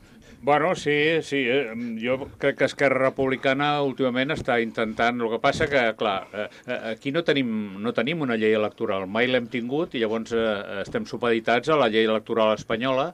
Bueno, sí, sí. eh, Jo crec que Esquerra Republicana últimament està intentant... El que passa que, clar, eh, eh, aquí no tenim, no tenim una llei electoral. Mai l'hem tingut i llavors eh, estem supeditats a la llei electoral espanyola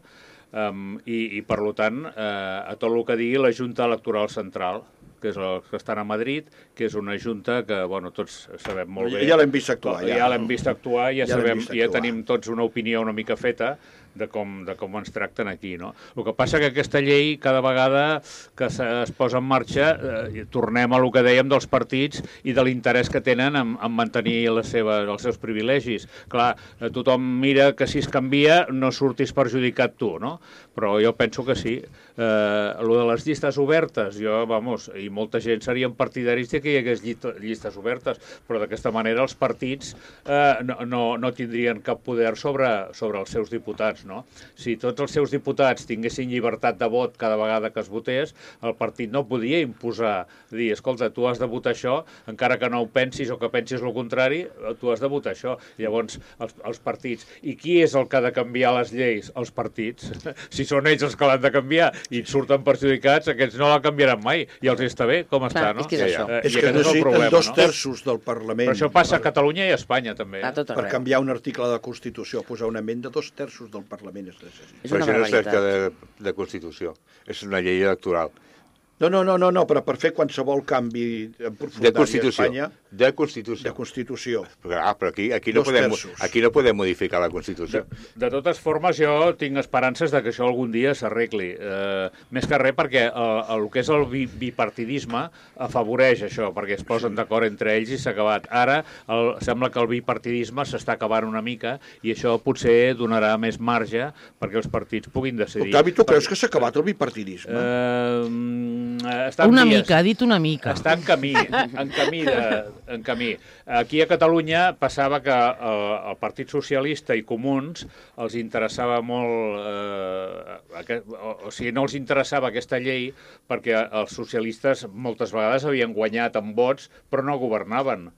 um, i, i, per tant, eh, a tot el que digui la Junta Electoral Central, que és el que estan a Madrid, que és una junta que, bueno, tots sabem molt bé. Ja l'hem vist actuar, Ja, ja. ja l'hem vist actuar, ja, Ja l'hem sabem, vist ja actuar. tenim tots una opinió una mica feta de com, de com ens tracten aquí, no? El que passa que aquesta llei, cada vegada que se, es posa en marxa, eh, tornem a el que dèiem dels partits i de l'interès que tenen en, en mantenir les seves, els seus privilegis. Clar, eh, tothom mira que si es canvia no surtis perjudicat tu, no? Però jo penso que sí. Eh, lo de les llistes obertes, jo, vamos, i molta gent serien partidaris de que hi hagués llista, llistes obertes, però d'aquesta manera els partits eh, no, no, no tindrien cap poder sobre, sobre els seus diputats, no? Si tots els seus diputats tinguessin llibertat de vot cada vegada que es votés, el partit no podia imposar, dir, escolta, tu has de votar això, encara que no ho pensis o que pensis el contrari, tu has de votar això. Llavors, els, els partits. I qui és el que ha de canviar les lleis? Els partits. Si són ells els que l'han de canviar i surten perjudicats, aquests no la canviaran mai. I els està bé com està, Clar, no? és que és això. Eh, És i que aquest és el necessiten problema, dos no? terços del Parlament Però això passa a per, Catalunya i a Espanya, també. A tot per arreu. canviar un article de la Constitució, posar una amenda, dos terços del Parlament es necessita. És Però una això no es tracta barbaritat. de, de Constitució, és una llei electoral. No, no, no, no, no, però per fer qualsevol canvi en De profundària a Constitució. Espanya, De Constitució. de Constitució. Però, ah, però aquí, aquí, no Dos podem, terços. aquí no podem modificar la Constitució. De, de totes formes, jo tinc esperances de que això algun dia s'arregli. Eh, més que res perquè el, el que és el bi, bipartidisme afavoreix això, perquè es posen d'acord entre ells i s'ha acabat. Ara el, sembla que el bipartidisme s'està acabant una mica i això potser donarà més marge perquè els partits puguin decidir. Octavi, tu creus que s'ha acabat el bipartidisme? Eh, està en Una vies. mica, ha dit una mica. Està en camí, en camí, de, en camí. Aquí a Catalunya passava que el, el Partit Socialista i Comuns els interessava molt... Eh, aquest, o, o sigui, no els interessava aquesta llei perquè els socialistes moltes vegades havien guanyat amb vots però no governaven.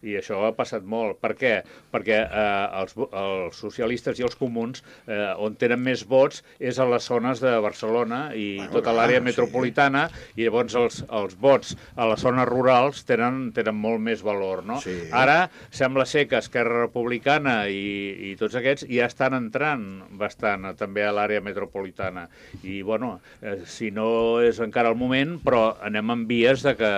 I això ha passat molt. Per què? Perquè eh, els, els socialistes i els comuns, eh, on tenen més vots, és a les zones de Barcelona i Bueno, tota clar, l'àrea sí. metropolitana, i llavors els, els vots a les zones rurals tenen, tenen molt més valor, no? Sí. Ara sembla ser que Esquerra Republicana i, i tots aquests ja estan entrant bastant eh, també a l'àrea metropolitana. I, bueno, eh, si no és encara el moment, però anem en vies de que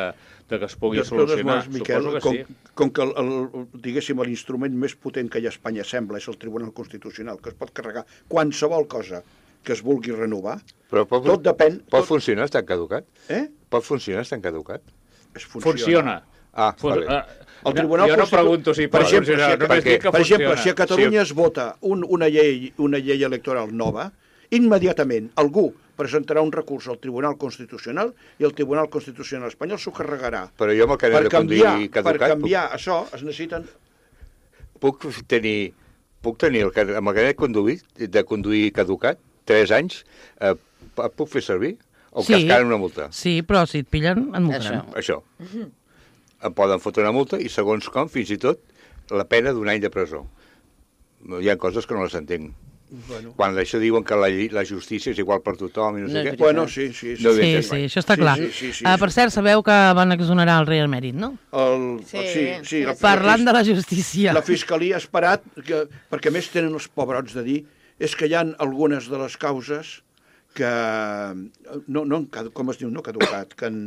de que es pugui De totes solucionar. maneres, Miquel, Suposo que com, sí. com que el, el, diguéssim, l'instrument més potent que hi ha a Espanya sembla és el Tribunal Constitucional, que es pot carregar qualsevol cosa que es vulgui renovar. Però pot, Tot depèn... pot tot... funcionar estant caducat? Eh? Pot funcionar estant caducat? Es funciona. Funciona. Ah, Fun vale. uh, El Tribunal jo no Constitu- pregunto si per pot exemple, funcionar, si a, només dic que per exemple, funciona. si a Catalunya es vota un, una, llei, una llei electoral nova, immediatament algú presentarà un recurs al Tribunal Constitucional i el Tribunal Constitucional espanyol s'ho carregarà. Però jo amb el carnet Per de conduir canviar, per caducat... canviar això es necessiten... Puc, puc tenir, puc tenir el, car- amb el carnet de conduir, de conduir caducat, tres anys, eh, p- puc fer servir? O Sí. cascar una multa? Sí, però si et pillen, et multaran. Això. Això. Em poden fotre una multa i, segons com, fins i tot, la pena d'un any de presó. Hi ha coses que no les entenc. Bueno, Quan això diuen que la, lli- la justícia és igual per tothom i no, No sé és què... veritat. bueno sí, sí. sí. No ho Sí, entenc sí, mai. això està Sí, clar. sí, sí, sí, Ah, sí. per cert, sabeu que van exonerar el rei emèrit, no? El, Sí, sí, sí, la, Parlant de la, la justícia. la Fiscalia ha esperat, que, perquè a més tenen els pobrots de dir, és que hi ha algunes de les causes que no, no han cadu- com es diu, no caducat, que han,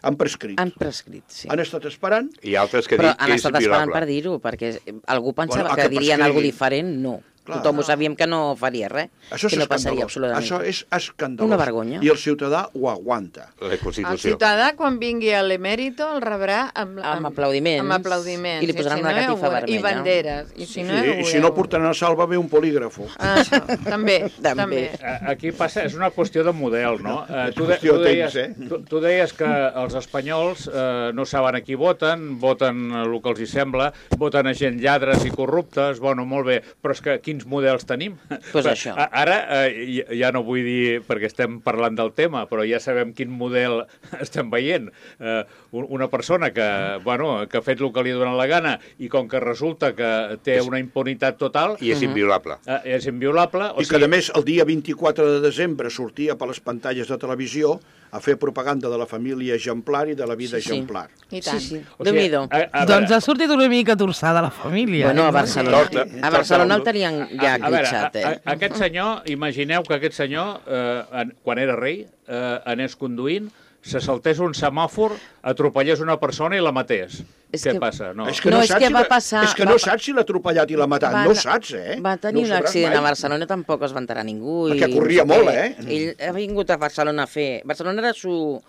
han prescrit. Han prescrit, sí. Han estat esperant. I altres que Però dic han que és estat esperant violable. per dir-ho, perquè algú pensava Bueno, a que que dirien prescrigui. alguna diferent, no. Clar. Tothom ho sabíem que no faria res, Això és que no passaria escandalós. absolutament. Això és escandalós. Una vergonya. I el ciutadà ho aguanta. La El Constitució. ciutadà, quan vingui a l'emèrito, el rebrà amb, Amb aplaudiments. Amb aplaudiments. I li posaran si una no, ja ho catifa veurà. I vermella. banderes. I si Sí, no, ja ho i si no veureu. portaran a salva bé un polígrafo. Ah, això, també, També. també. Eh, Aquí passa, és una qüestió de model, no? Eh, És tu, de, qüestió tu, de deies, temps, eh? tu, tu deies que els espanyols eh, no saben a qui voten, voten el que els hi sembla, voten a gent lladres i corruptes, bueno, molt bé, però és que quins models tenim? Pues això. A- Ara, eh, ja- ja no vull dir, perquè estem parlant del tema, però ja sabem quin model estem veient. Eh, un- una persona que, bueno, que ha fet el que li ha donat la gana i com que resulta que té una impunitat total, I és inviolable. eh, és inviolable. O I que, a més, el dia vint-i-quatre de desembre sortia per les pantalles de televisió a fer propaganda de la família exemplar i de la vida Sí, sí. exemplar. I tant. Sí, sí. o sigui, Déu-n'hi-do. a- a Doncs veure, ha sortit una mica torçada la família. Bueno, a eh? Barcelona, Torta. a Barcelona el tenien ja a, a veure, glitxat, a, eh? a, aquest senyor, imagineu que aquest senyor, eh, en, quan era rei, eh, anés conduint, se saltés un semàfor, atropellés una persona i la matés. És Què que- passa? No. És que No, no, és saps que si va la- passar- És que va no pa- saps si l'ha atropellat i l'ha matat. Va- no saps, eh? Va tenir no ho un sabràs accident mai. a Barcelona, tampoc es va enterar ningú. Perquè i corria no sé molt, què. eh? Ell ha vingut a Barcelona a fer... Barcelona era su,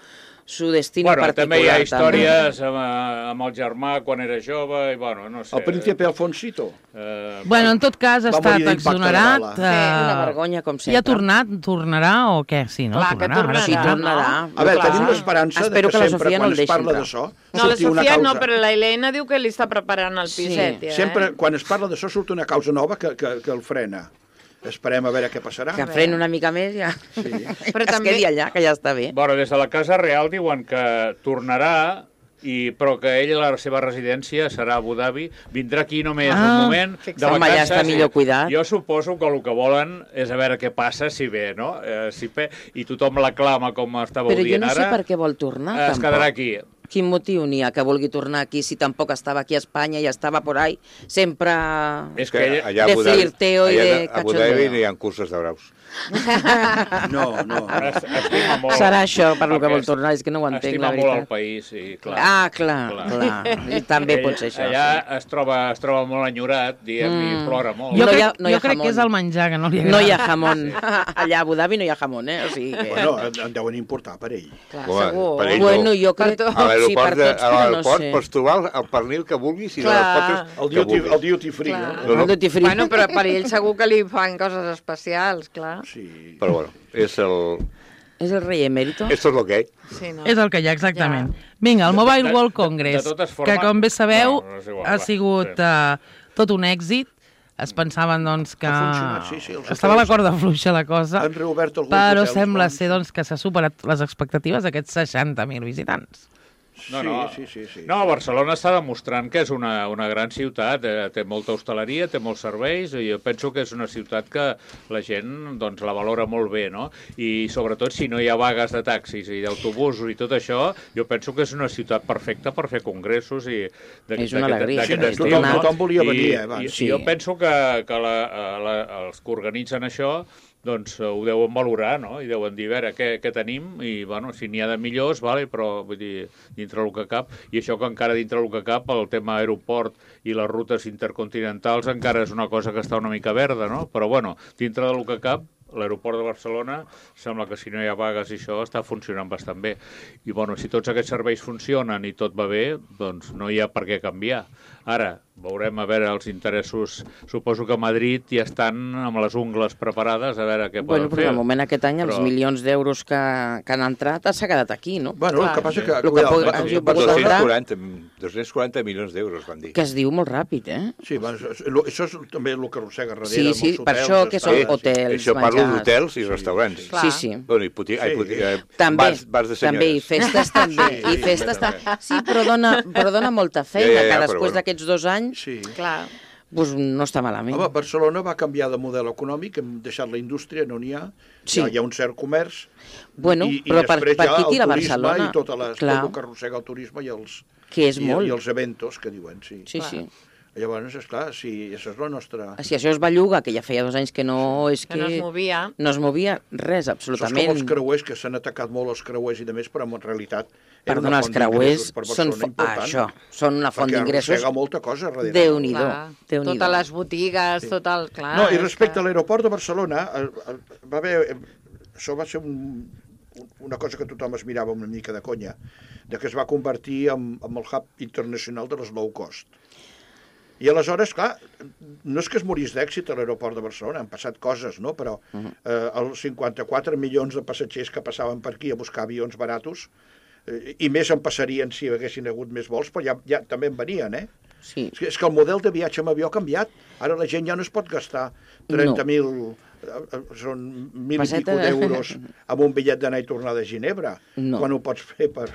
su destino Bueno, particular. també hi ha també. històries amb, amb el germà quan era jove, i bueno, no sé. El príncipe Alfonsito. Eh, Bueno, en tot cas, ha Va estat morir d'impacte de exonerat. bala. Sí, eh, una vergonya, com I ha sempre. tornat? Tornarà o què? Sí, no? Clar que tornarà. tornarà. Sí, no? tornarà. A veure, Clar. tenim l'esperança de Espero que que la sempre, Sofia no quan el es deixi parla entrar. d'això, No, la surti una Sofia causa. no, però la Helena diu que li està preparant el Sí. piset, ja, Sempre, eh? quan es parla d'això, surt una causa nova que, que, que el frena. Esperem a veure què passarà. Que freni una mica més ja. Sí. Però es també- quedi allà, que ja està bé. Bueno, des de la Casa Real diuen que tornarà, i, però que ell, la seva residència serà a Abu Dhabi, vindrà aquí només Ah, un moment de fixa't. Home, allà vacances. està millor cuidat. Jo suposo que el que volen és a veure què passa si ve, no? Eh, si pe... I tothom l'aclama com estàveu Però jo dient no sé ara. per què vol tornar, eh, es tampoc. quedarà aquí. Quin motiu n'hi ha que vulgui tornar aquí si tampoc estava aquí a Espanya i estava por ahí sempre... És Que que ella... allà a de Abu Dhabi- flirteo i allà de a Abu Dhabi cachondeo. no hi ha curses de braus. No, no. Es- estima molt. Serà això per lo que Perquè vol tornar, és que no ho entenc, estima la molt el veritat. país, sí, clar. Ah, clar, Clar. clar. I també Ell- pot ser això. Allà sí. es, troba, es troba molt enyorat, diguem, Mm. i plora molt. Jo, No hi crec, ha- no hi ha jo crec jamón. que és el menjar, que no li agrada. No hi ha jamón. Allà a Abu Dhabi no hi ha jamón, eh? O sigui que... Bueno, en deuen importar per ell. Clar, Home, segur. per ell no. Bueno, jo crec... Per A sí, per l'aeroport de- tots, a però no l'aeroport sé. pots trobar el, el pernil que vulguis i Clar. les potes El que duty, vulguis. el duty free, Clar. no? No, no. El duty free. Bueno, però per ell segur que li fan coses especials, clar. Sí. Però bueno, és el... És el rei emèrito? Esto es lo que hay. Sí, no? És el que hi ha, exactament. Vinga, el Mobile De- World de- Congress, de totes formes- que com bé sabeu No, no és igual, ha va, sigut sí. uh, tot un èxit. Es pensaven doncs, que Ha funcionat, sí, sí, els estava a la hotels corda fluixa la cosa, Han reobert alguns però hotels sembla bons. ser doncs, que s'ha superat les expectatives d'aquests seixanta mil visitants. No, no. Sí, sí, sí, sí. No, Barcelona està demostrant que és una, una gran ciutat, eh, té molta hostaleria, té molts serveis, i jo penso que és una ciutat que la gent doncs, la valora molt bé, no? I sobretot si no hi ha vagues de taxis i d'autobusos i tot això, jo penso que és una ciutat perfecta per fer congressos i És una alegria, d'aquest sí, estil, tothom- no? tothom volia I, venir, eh, abans. I, Sí. i jo penso que, que la, la, els que organitzen això doncs eh, ho deuen valorar, no? I deuen dir, a veure, què, què tenim? I, bueno, si n'hi ha de millors, vale, però, vull dir, dintre del que cap, i això que encara dintre del que cap, el tema aeroport i les rutes intercontinentals encara és una cosa que està una mica verda, no? Però, bueno, dintre del que cap, l'aeroport de Barcelona sembla que si no hi ha vagues i això està funcionant bastant bé. I bueno, si tots aquests serveis funcionen i tot va bé, doncs no hi ha per què canviar. Ara, veurem a veure els interessos. Suposo que a Madrid ja estan amb les ungles preparades a veure què poden bueno, però fer. de moment aquest any, però... els milions d'euros que, que han entrat s'ha quedat aquí, no? Bueno, Clar. el que passa que... El que pot- hagi pogut dos-cents quaranta dos-cents quaranta milions d'euros, van dir. Que es diu molt ràpid, eh? Sí, va, això, això és també el que arrossega darrere. Sí, sí, molts per hotels, això que són estades, hotels, Això parlo menjars. d'hotels i restaurants. Clar. Sí, sí. Bueno, i puti, ai, Sí. puti, eh, També, bars, bars de senyores. també, i festes també, Sí, i sí, festes també. també. Sí, però dona, però dona molta feina, Ja, ja, ja, que però després bueno. d'aquests dos anys Sí. Clar. pues, no està malament. Home, Barcelona va canviar de model econòmic, hem deixat la indústria, no n'hi ha, Sí. hi, ha, hi ha un cert comerç, Bueno, i, i però per, després per hi ha aquí el tira turisme Barcelona. i tot, les, Clar, tot el que arrossega el turisme i els, que és i, molt. i els eventos, que diuen, sí. Sí, sí. Llavors, esclar, sí, això és la nostra... Si això es belluga, que ja feia dos anys que no... És Que que no es movia. no es movia res, Això és com absolutament. els creuers, que s'han atacat molt els creuers i de més, però en realitat era Perdona, una els font creuers d'ingressos per són, Barcelona fo- important. això, són una font Perquè d'ingressos. arrossega molta cosa darrere. Déu-n'hi-do. Clar. Déu-n'hi-do. Totes les botigues, tot el... Clar, No, i és respecte que- a l'aeroport de Barcelona, eh, eh, va haver... eh, Això va ser un, un- una cosa que tothom es mirava una mica de conya, de que es va convertir en, en el hub internacional de les low cost. I aleshores, clar, no és que es morís d'èxit a l'aeroport de Barcelona, han passat coses, no? Però eh, els cinquanta-quatre milions de passatgers que passaven per aquí a buscar avions baratos, eh, i més en passarien si hi haguessin hagut més vols, però ja, ja també en venien, eh? Sí. És que, és que el model de viatge amb avió ha canviat. Ara la gent ja no es pot gastar trenta mil, no. són mil Passeta. i pico d'euros amb un bitllet d'anar i tornar de Ginebra, No. quan ho pots fer per,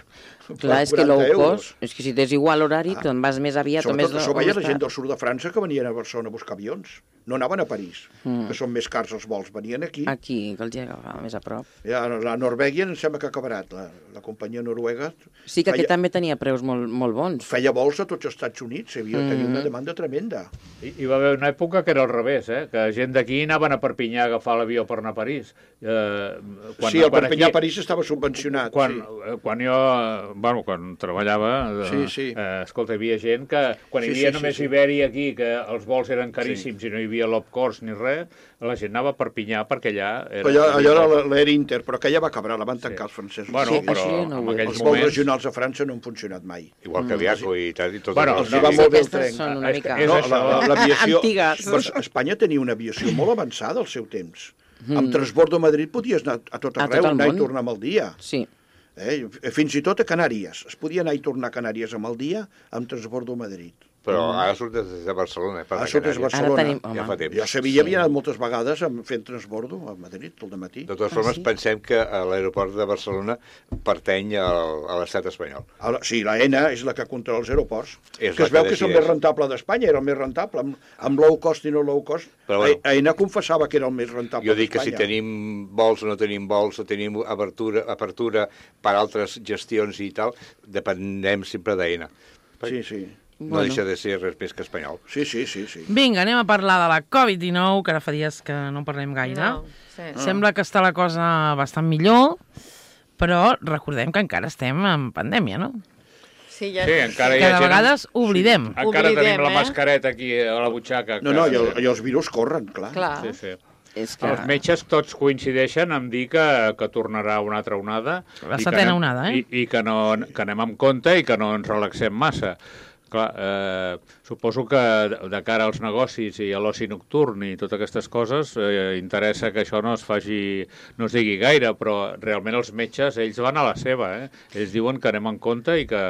Clar, per és que low euros. cost, és que si tens igual horari, Ah. te'n vas més aviat o més... Sobretot això o veia més la gent tard. del sud de França que venien a Barcelona a buscar avions. No anaven a París, Mm. que són més cars els vols, venien aquí. Aquí, que els hi agafava més a prop. Ja, la Norvègia em sembla que ha acabat, la, la companyia noruega. Sí que aquest feia, també tenia preus molt, molt bons. feia vols a tots els Estats Units, hi havia, Mm. tenia una demanda tremenda. I, hi va haver una època que era al revés, eh? Que gent d'aquí anaven a Perpinyà a agafar l'avió per anar a París. Eh, quan, Sí, el quan Perpinyà aquí- a París estava subvencionat. Quan, sí. eh, quan jo, eh, bueno, quan treballava, eh, Sí, sí. Eh, escolta, hi havia gent que, quan hi Sí, havia sí, només sí, sí. Ibèria aquí, que els vols eren caríssims i no hi havia low cost ni res, la gent anava a Perpinyà perquè allà... Era, Però allò, allò era l'Air Inter, però que ja va acabar, la van tancar Sí. els francesos. Bueno, Sí, però això ja no en ho he aquells Els vols moments... regionals a França no han funcionat mai. Igual que Aviaco i tal, i tot Bueno, això. Els no, hi va sí, molt bé el aquestes tren. són una És que mica... és No, això. la- la- l'aviació... Antigues. Però Espanya tenia una aviació molt avançada al seu temps. Amb Transbordo a Madrid podies anar a tot A arreu, tot el anar i món. tornar amb el dia. Sí. Eh? Fins i tot a Canàries. Es podia anar i tornar a Canàries amb el dia amb Transbordo a Madrid. Però ara surt des de Barcelona. Eh, per Ara anar a surt des de Canàries. Barcelona. Ara tenim... Ja fa Home, temps. Jo a Sevilla havia anat moltes vegades amb- fent transbordo a Madrid, tot de matí. De totes Ah, formes, sí? pensem que a l'aeroport de Barcelona pertany al, a l'estat espanyol. Ara, sí, la ENA és la que controla els aeroports, És que la es veu que que és el decideix. més rentable d'Espanya, era el més rentable, amb, amb low cost i no low cost. Però bueno. A- AENA confessava que era el més rentable Jo dic que si d'Espanya. tenim vols o no tenim vols, o tenim apertura, apertura per altres gestions i tal, depenem sempre d'AENA. Sí, sí. No Bueno. deixa de ser res més que espanyol. Sí, sí, sí, sí. Vinga, anem a parlar de la covid dinou, que ara fa dies que no parlem gaire. No, sí. Sembla que està la cosa bastant millor, però recordem que encara estem en pandèmia, no? Sí, ja Sí, encara hi Que ha de gent... vegades oblidem. Encara Oblidem, tenim la eh? mascareta aquí a la butxaca. No, no, i, el, i els virus corren, clar. Clar. Sí, sí. És que... Els metges tots coincideixen en dir que, que tornarà una altra onada. La i que setena anem- onada, eh? I, i que, no, que anem amb compte i que no ens relaxem massa. Clar, eh, suposo que de cara als negocis i a l'oci nocturn i totes aquestes coses eh, interessa que això no es faci, no es digui gaire, però realment els metges, ells van a la seva, eh? Ells diuen que anem en compte i que,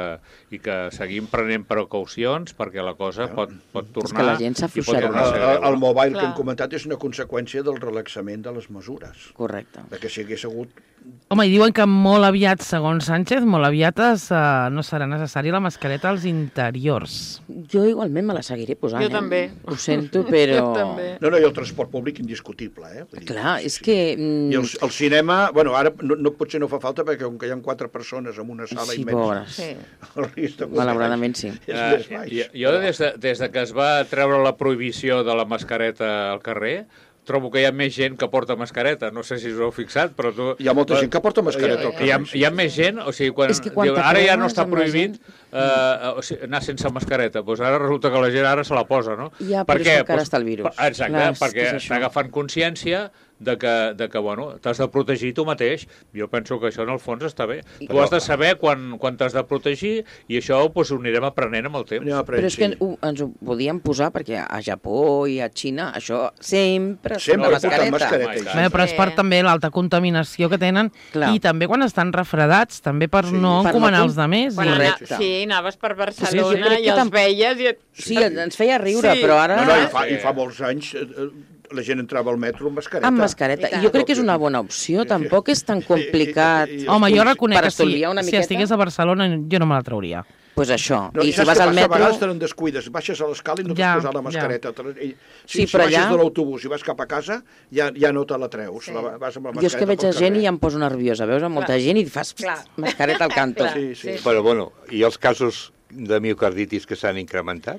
i que seguim prenent precaucions perquè la cosa pot, pot tornar... que la gent i pot s'afluixarà. tornar a El, ser el, greu, el no? mobile Clar. que hem comentat és una conseqüència del relaxament de les mesures. Correcte. Perquè si hagués hagut... Home, i diuen que molt aviat, segons Sánchez, molt aviat es, uh, no serà necessària la mascareta als interiors. Jo igualment me la seguiré posant, Jo eh? també. Ho sento, però... Jo també. No, no, i el transport públic indiscutible, eh? Vull dir, Clar, sí, és sí. que... mm, I el, el cinema, bueno, ara no, no, potser no fa falta perquè com que hi ha quatre persones en una sala Sí, immensa, pobres. Sí. el risc de Malauradament sí. és Eh, més baix. jo, jo des, de, des de que es va treure la prohibició de la mascareta al carrer, trobo que hi ha més gent que porta mascareta. No sé si us ho heu fixat, però tu... Hi ha molta gent que porta mascareta al Hi ha, carrer. hi ha més gent, o sigui, quan, És que quan diu, ara ja no t'acreues està amb la prohibit eh, o sigui, anar sense mascareta, doncs ara resulta que la gent ara se la posa, no? Ja, però és que encara està el virus. per- Exacte, Clar, és que perquè és això. està agafant consciència de que, de que bueno, t'has de protegir tu mateix. Jo penso que això en el fons està bé. I- Tu has de saber quan, quan t'has de protegir i això doncs, ho anirem aprenent amb el temps. Anem aprenent, Però és que sí. ho, ens ho podíem posar perquè a Japó i a Xina això sempre està Sempre amb porten mascareta. mascareta. Bé, però és per Sí. també l'alta contaminació que tenen Clar. i també quan estan refredats, també per Sí. no Per no encomanar com- els demés. Quan I... ana... Correcte. Sí, anaves per jo Barcelona crec i que els tam- veies i... et- Sí, ens feia riure, Sí. però ara... No, no, i fa, Sí. i fa molts anys eh, eh, la gent entrava al metro amb mascareta. Amb mascareta. I tant. I jo crec que és una bona opció, tampoc és tan complicat. I- i- i- Home, jo reconec Per que si, estalviar una si miqueta. estigués a Barcelona jo no me la trauria. Pues això. No, I si saps vas què al passa? A metro... vegades te'n descuides, baixes a l'escala i no Ja, t'has posat la ja. mascareta. I, Sí, si però baixes allà- de l'autobús i vas cap a casa, ja, ja no te la treus. Sí. La, vas amb la Jo és que mascareta veig pel a gent carrer. i em poso nerviosa. Veus a molta Clar. gent i fas Clar. mascareta al canto. Clar. Sí, sí. Sí. Però, bueno, i els casos de miocarditis que s'han incrementat?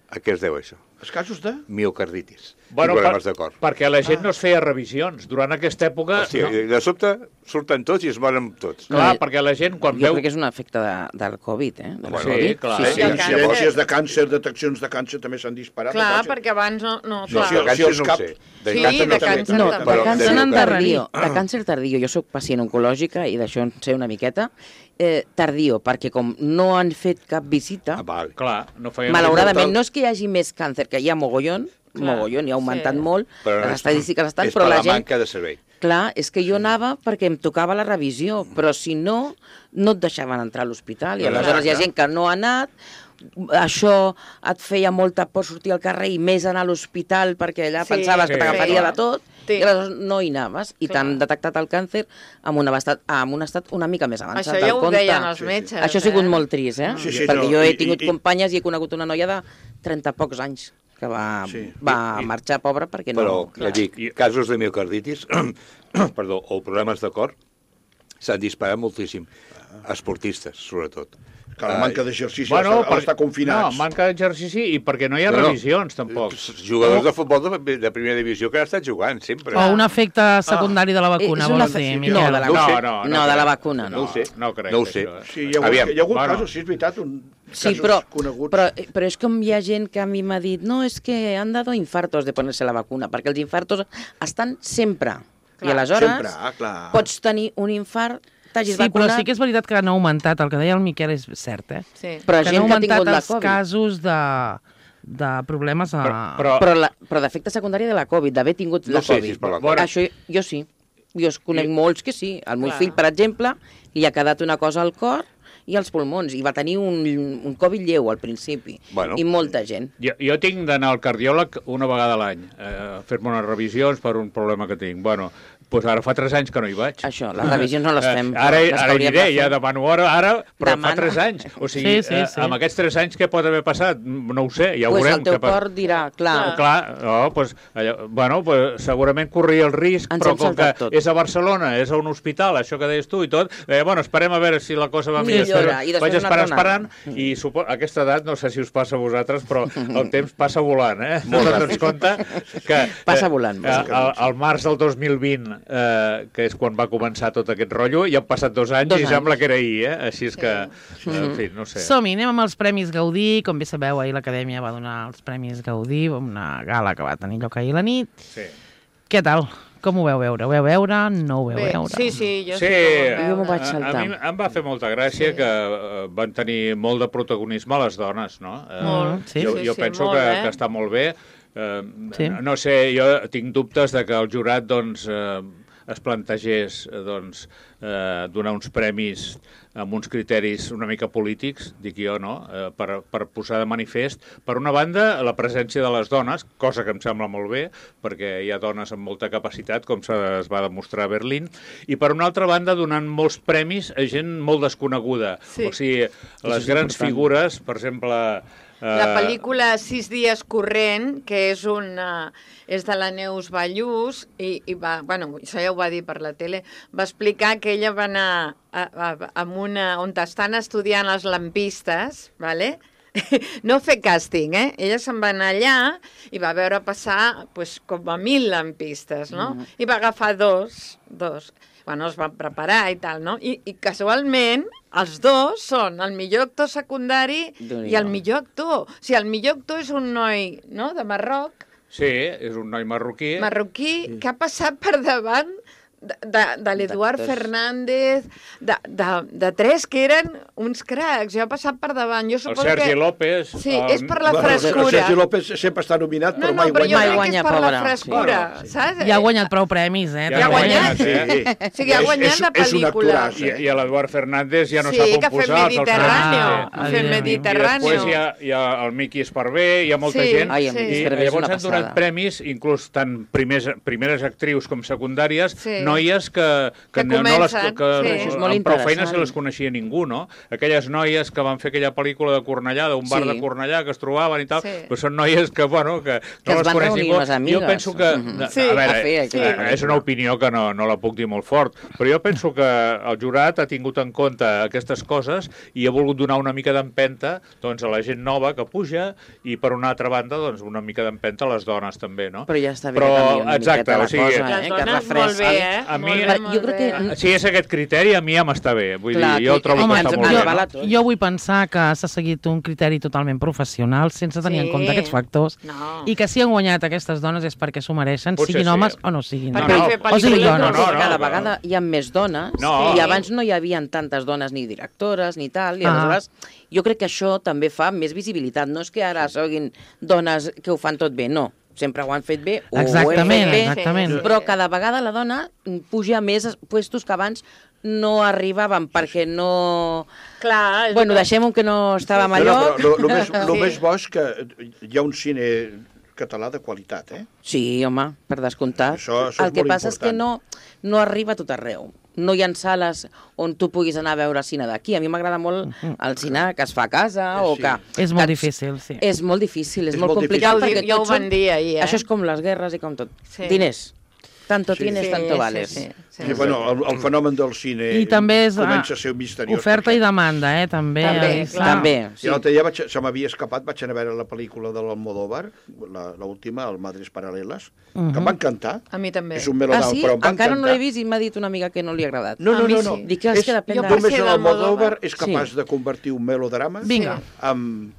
A què es deu això? Els casos de... Miocarditis. Bueno, I problemes per, de cor. perquè la gent no es feia revisions. Durant aquesta època... Hòstia, no, de sobte surten tots i es moren tots. clar, No, perquè la gent quan Jo veu... crec que és un efecte de, del Covid, eh? Del Bueno, sí, Covid. clar. Sí, Sí, sí. el incidències càncer. de càncer, deteccions de càncer també s'han disparat. Clar, de càncer. perquè abans no... no, No, clar. si de si càncer els no ho cap- sé. De Sí, càncer de no sé. càncer No, també. de Però càncer de tardío, miocardi- de càncer tardío, jo sóc pacient oncològica i d'això en sé una miqueta, eh, tardío, perquè com no han fet cap visita, Ah, vale. Clar, no feien... malauradament mortal. no és que hi hagi més càncer, que hi ha mogollon, Clar, mogollon, i ha augmentat sí. molt, Però les és- estadístiques estan, és però per la la gent... manca de servei. Clar, és que jo anava perquè em tocava la revisió, però si no, no et deixaven entrar a l'hospital, i Clar, aleshores hi ha clar. gent que no ha anat, això et feia molta por sortir al carrer i més anar a l'hospital perquè allà Sí, pensaves que sí, t'agafaria clar. de tot, Sí. i aleshores no hi anaves, i Clar. t'han detectat el càncer amb un, estat, amb un estat una mica més avançat Això ja del ho compte. deien els Sí, sí. metges. Això ha sigut eh? molt trist, eh? Sí, sí, perquè no, jo he i- tingut i- companyes i he conegut una noia de trenta pocs anys que va, Sí. va I- i- marxar pobra perquè Però, no... ja dic, I- casos de miocarditis perdó, o problemes de cor s'han disparat moltíssim. Esportistes, sobretot. Que la manca d'exercici Bueno, bueno, està, per- confinats. No, manca d'exercici i perquè no hi ha No, no. revisions, tampoc. Jugadors de futbol de, de primera divisió que han estat jugant, sempre. O un efecte secundari de la vacuna, És vols una- dir, no, Miquel? de la- No ho sé. No, no, No, de crec. la vacuna, no. No ho sé. No crec, No ho sé. això. Sí, hi ha, Aviam. hagut, hi ha hagut Bueno. casos, sí, és veritat, un, Sí, casos però, coneguts. però, però és com hi ha gent que a mi m'ha dit no, és que han dado infartos de ponerse la vacuna, perquè els infartos estan sempre. I aleshores sempre, ah, clar. pots tenir un infart, t'hagis Sí, però vacunat, sí que és veritat que han augmentat, el que deia el Miquel és cert, eh? Sí. però que han gent que ha augmentat tingut la els Covid. casos de, de problemes a... Però- però- Però, la, però d'efecte secundari de la Covid, d'haver tingut No la sé Covid. si és per la Bueno. Això jo sí. Jo es conec I- molts que sí. El meu Clar. fill, per exemple, li ha quedat una cosa al cor i als pulmons, i va tenir un, un Covid lleu al principi. Bueno. I molta gent. Jo, jo tinc d'anar al cardiòleg una vegada a l'any, eh, a fer-me unes revisions per un problema que tinc. Bueno, doncs ara fa tres anys que no hi vaig. Això, les revisions no les fem. Eh, ara les que ara hi hauríem aniré, de fer. ja demano hora, ara, però Demana. fa tres anys. O sigui, Sí, sí, eh, sí. amb aquests tres anys què pot haver passat? No ho sé, ja ho pues veurem. el teu què pa- cor dirà, clar, Oh, clar, no, pues, allò, bueno, pues, segurament corria el risc, Ens però hem com que saltat tot. és a Barcelona, és a un hospital, això que deies tu i tot, eh, bueno, esperem a veure si la cosa va millor. Millora, i després Vaig una esperar altra esperant, anada. i supo... a aquesta edat, no sé si us passa a vosaltres, però el temps passa volant, eh? Molt ens compte que... Passa eh, volant, Eh, al, al març del dos mil vint, eh, que és quan va començar tot aquest rotllo, ja han passat dos anys Dos i anys. sembla que era ahir, eh? Així és que, eh, en fi, no sé. Som-hi, anem amb els Premis Gaudí. Com bé sabeu, ahir l'Acadèmia va donar els Premis Gaudí, una gala que va tenir lloc ahir a la nit. Sí. Què tal? Com ho veu veure? Ho veu veure? No ho veu Bé, veure? sí, sí, jo sí, Sí, que ho Jo m'ho veure. vaig A, saltar. a mi em va fer molta gràcia Sí. que eh, van tenir molt de protagonisme les dones, no? Eh, Molt, sí, jo, sí, jo sí, penso molt, que, eh? que està molt bé. Eh, Sí. No sé, jo tinc dubtes de que el jurat doncs, eh, es plantegés eh, doncs, eh, donar uns premis amb uns criteris una mica polítics, dic jo, no?, eh, per, per posar de manifest, per una banda, la presència de les dones, cosa que em sembla molt bé, perquè hi ha dones amb molta capacitat, com se es va demostrar a Berlín, i per una altra banda, donant molts premis a gent molt desconeguda. Sí. O sigui, les és grans important. figures, per exemple... Eh, La pel·lícula Sis dies corrent, que és una és de la Neus Ballús, i, i va, bueno, això ja ho va dir per la tele, va explicar que ella va anar a, a, a una, on estan estudiant els lampistes, ¿vale? No fer càsting, eh? Ella se'n va anar allà i va veure passar pues, com a mil lampistes, no? Mm. I va agafar dos, dos. Bueno, es van preparar i tal, no? I, i casualment els dos són el millor actor secundari Déu-n'hi-do. i el millor actor. O sigui, el millor actor és un noi, no?, de Marroc, Sí, és un noi marroquí. Marroquí que ha passat per davant de, de, de l'Eduard D'actors. Fernández, de, de, de tres que eren uns cracs. Jo he passat per davant. Jo El suposo Sergi que... López. Sí, el... és per la Bueno, el frescura. Sergi López sempre està nominat, No, però no, mai però jo guanya. crec que guanya, és per la pobre. frescura, Sí. saps? Ja ha guanyat prou premis, eh? Ja ha també. guanyat. Sí. O sigui, ha És- guanyat és- de és un pel·lícula. actoràs, I, i l'Eduard Fernández ja no Sí, sap que on ha fet posar-se. els Mediterráneo, Ah, ha fet evidentment. I Mediterráneo. després hi ha, hi ha el Miqui Esparvé, hi ha molta Sí. gent. Ai, Sí. sí. I Esparvé és llavors una han donat passada. premis, inclús tant primers, primeres actrius com secundàries, Sí. noies que, que, Que no, no les, comencen, que sí. És molt amb prou feines interessant. se les coneixia ningú, no? Aquelles noies que van fer aquella pel·lícula de Cornellà, d'un bar Sí. de Cornellà, que es trobaven i tal, Sí. però són noies que, bueno, que, Que no es les van coneix reunir ningú. les amigues. Jo penso que... Mhm. Sí. a veure, A fer aquella eh, és una pel·lícula. opinió que no, no la puc dir molt fort, però jo penso que el jurat ha tingut en compte aquestes coses i ha volgut donar una mica d'empenta doncs, a la gent nova que puja i, per una altra banda, doncs, una mica d'empenta a les dones també, no? Però ja està bé Però, que canviï una exacte, miqueta la o sigui, cosa, Les eh? Que dones molt bé, refresca. eh? A mi- Molt bé, Jo molt crec que- bé. Si és aquest criteri, a mi ja m'està bé. Vull Clar, dir, jo que- trobo Home, que ens- està jo, molt ens bé. vala No? tot. jo vull pensar que s'ha seguit un criteri totalment professional sense tenir Sí. en compte aquests factors No. i que si han guanyat aquestes dones és perquè s'ho mereixen, Potser siguin sí. homes o no siguin. Perquè No, han no. fet O sigui, pel·lícules dones. No, no, no, cada no. vegada hi ha més dones No. i abans no hi havia tantes dones ni directores ni tal, i Ah. aleshores jo crec que això també fa més visibilitat. No és que ara siguin dones que ho fan tot bé, no. Sempre ho han fet bé, o Exactament, ho hem fet bé, exactament. Sí. però cada vegada la dona puja a més puestos que abans no arribaven perquè no... Clar, és Bueno, que- deixem-ho que no estàvem No, allò... no, però el més, lo Sí. més bo és que hi ha un cine català de qualitat, eh? Sí, home, per descomptat. Això- això és el que molt passa és que important. no, no arriba a tot arreu. No hi ha sales on tu puguis anar a veure cine d'aquí. A mi m'agrada molt el cine que es fa a casa o Sí. que... És molt que- difícil, sí. És molt difícil, és, És molt, molt complicat Ja ho, perquè dic, ja ho tots van són... dir ahir, eh? Això és com les guerres i com tot. Sí. Diners. Tanto Sí. tienes, Sí, tanto sí, vales. sí, sí. Sí, bueno, el, el fenomen del cine I també és ah, comença a ser misteriós. oferta perquè- i demanda, eh? També. També, ahí clar. està. També, Sí. sí. I l'altre dia vaig, se m'havia escapat, vaig anar a veure la pel·lícula de l'Almodóvar, la- l'última, el Madres Paral·leles, que em va encantar. A mi també. És un Ah, melodrama, sí? però em va Encara no encantar. l'he vist i m'ha dit una amiga que no li ha agradat. No, A no, mi no, sí. no. Dic que és que depèn de- Només Jo per ser l'Almodóvar d'Almodóvar- és capaç Sí. de convertir un melodrama Vinga. amb,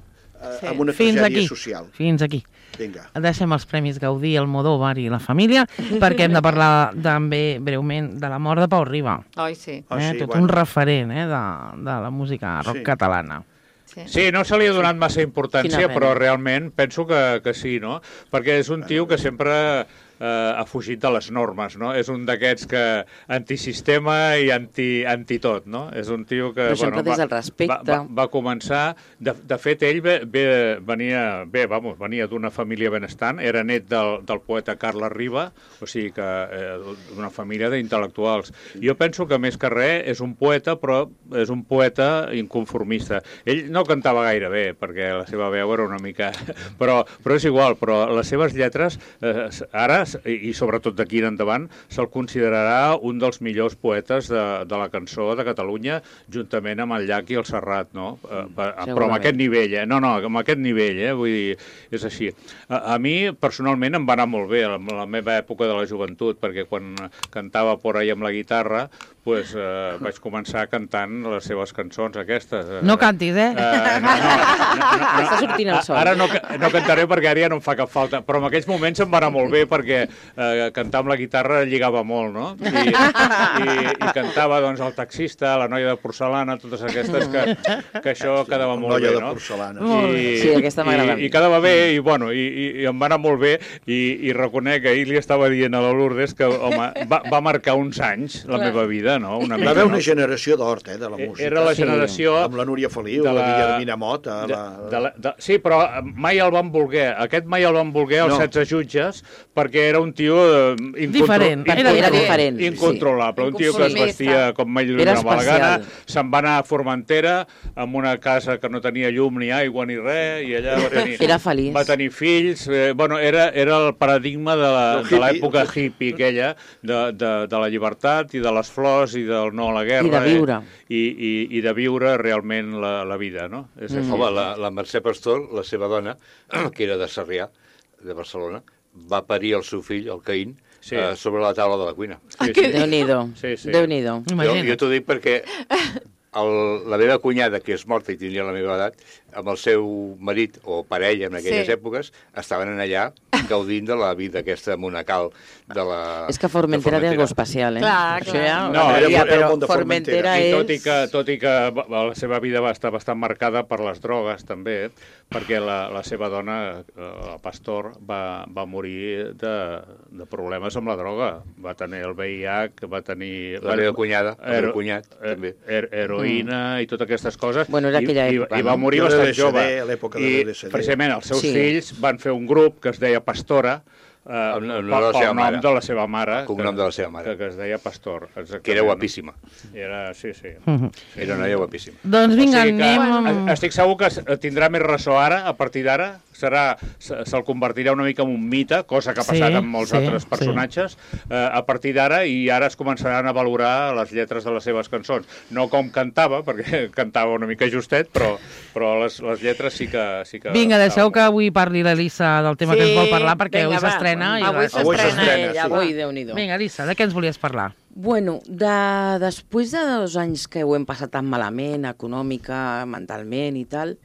Sí. amb una Fins tragèdia aquí. social. Fins aquí. Vinga. Deixem els Premis Gaudí, el Almodóvar i la família, perquè hem de parlar també breument de la mort de Pau Riba. Oi, sí. Ah, eh? sí, Tot bueno. un referent eh? de, de la música rock Sí. catalana. sí. Sí, no se li ha donat massa importància, Quina pena. però realment penso que, que sí, no? Perquè és un tio que sempre eh, ha fugit de les normes, no? És un d'aquests que antisistema i anti, anti tot, no? És un tio que... Però sempre des del respecte. Va, va, va començar... De, de fet, ell ve, ve, venia, bé, vamos, venia d'una família benestant, era net del, del poeta Carles Riba, o sigui que eh, d'una família d'intel·lectuals. Jo penso que més que res és un poeta, però és un poeta inconformista. Ell no cantava gaire bé, perquè la seva veu era una mica... Però, però és igual, però les seves lletres, eh, ara, i sobretot d'aquí en endavant, se'l considerarà un dels millors poetes de, de la cançó de Catalunya, juntament amb el Llach i el Serrat, no? Eh, però amb aquest nivell, eh? No, no, amb aquest nivell, eh? Vull dir, és així. A, a mi, personalment, em va anar molt bé a la, a la meva època de la joventut, perquè quan cantava por ahí amb la guitarra, pues, eh, vaig començar cantant les seves cançons aquestes. No cantis, eh? Eh, no, no, no, no, Està sortint el sol. Ara no, no cantaré perquè ara ja no em fa cap falta, però en aquells moments em va anar molt bé perquè eh, cantar amb la guitarra lligava molt, no? I, i, i cantava doncs, el taxista, la noia de porcelana, totes aquestes que, que això quedava molt Noia bé, de no? porcelana. I, Sí, aquesta m'agrada. I, I quedava bé, i, bueno, i, i, i em va anar molt bé, i, i reconec que ahir li estava dient a la Lourdes que, home, va, va marcar uns anys la meva vida, no? Una Va mica, haver no? una generació d'hort, eh, de la música. Era la Sí. generació... Amb la Núria Feliu, de la, la- Guillermina Mota... De, La... de la, de, sí, però mai el van voler. Aquest mai el van voler els No. setze jutges perquè era un tio eh, incontro... Diferent, era incontro- diferent, sí. incontrolable. Un tio que es Inconformista. vestia com mai li Era donava la gana. especial. Se'n va anar a Formentera amb una casa que no tenia llum ni aigua ni res, i allà va tenir... Era feliç. Va tenir fills. Eh, bueno, era, era el paradigma de la- Del de hippie. l'època hippie aquella, de, de, de la llibertat i de les flors i del no a la guerra. I de viure. Eh? I, i, I de viure realment la, la vida, no? És Mm. així. Home, la, la Mercè Pastor, la seva dona, que era de Sarrià, de Barcelona, va parir el seu fill, el Caín, Sí. eh, sobre la taula de la cuina. Sí, sí. Déu-n'hi-do. Sí, sí. Déu-n'hi-do. Jo, Imagina't. jo t'ho dic perquè el, la meva cunyada, que és morta i tindria la meva edat, amb el seu marit o parella en aquelles Sí. èpoques, estaven en allà gaudint de la vida aquesta monacal de la És que Formentera té algo especial, eh? Clar, Això clar. ja... No, ja, era però molt de Formentera. Formentera I és... tot i, que, tot i que la seva vida va estar bastant marcada per les drogues, també, perquè la, la seva dona, la Pastor, va, va morir de, de problemes amb la droga. Va tenir el V I H, va tenir... La meva cunyada, el meu Hero- cunyat, també. her- heroïna i totes aquestes coses. Bueno, era aquella I, època, i, i va no? morir Jo bastant de L S D, jove. a l'època de I l'L S D. precisament els seus Sí. fills van fer un grup que es deia Pastora, eh, El- el pel, nom de la pel seva nom mare. de la seva mare. El cognom que- de la seva mare. Que, que es deia Pastor, exactament. Que era guapíssima. Era, sí, sí. Era una noia guapíssima. Doncs vinga, O sigui que anem... amb- Estic segur que s- tindrà més ressò ara, a partir d'ara, serà se- se'l convertirà una mica en un mite, cosa que ha passat Sí, amb molts sí, altres sí. personatges, eh, a partir d'ara, i ara es començaran a valorar les lletres de les seves cançons. No com cantava, perquè cantava una mica justet, però, però les, les lletres sí que... Sí que Vinga, deixeu estaven que avui parli l'Elisa del tema que ens vol parlar, perquè vinga, avui va. s'estrena. i Avui res. Avui s'estrena s'estrena, ella, sí. va. Ui, Déu-n'hi-do. Vinga, Elisa, de què ens volies parlar? Bueno, de, després de dos anys que ho hem passat tan malament, econòmica, mentalment i tal,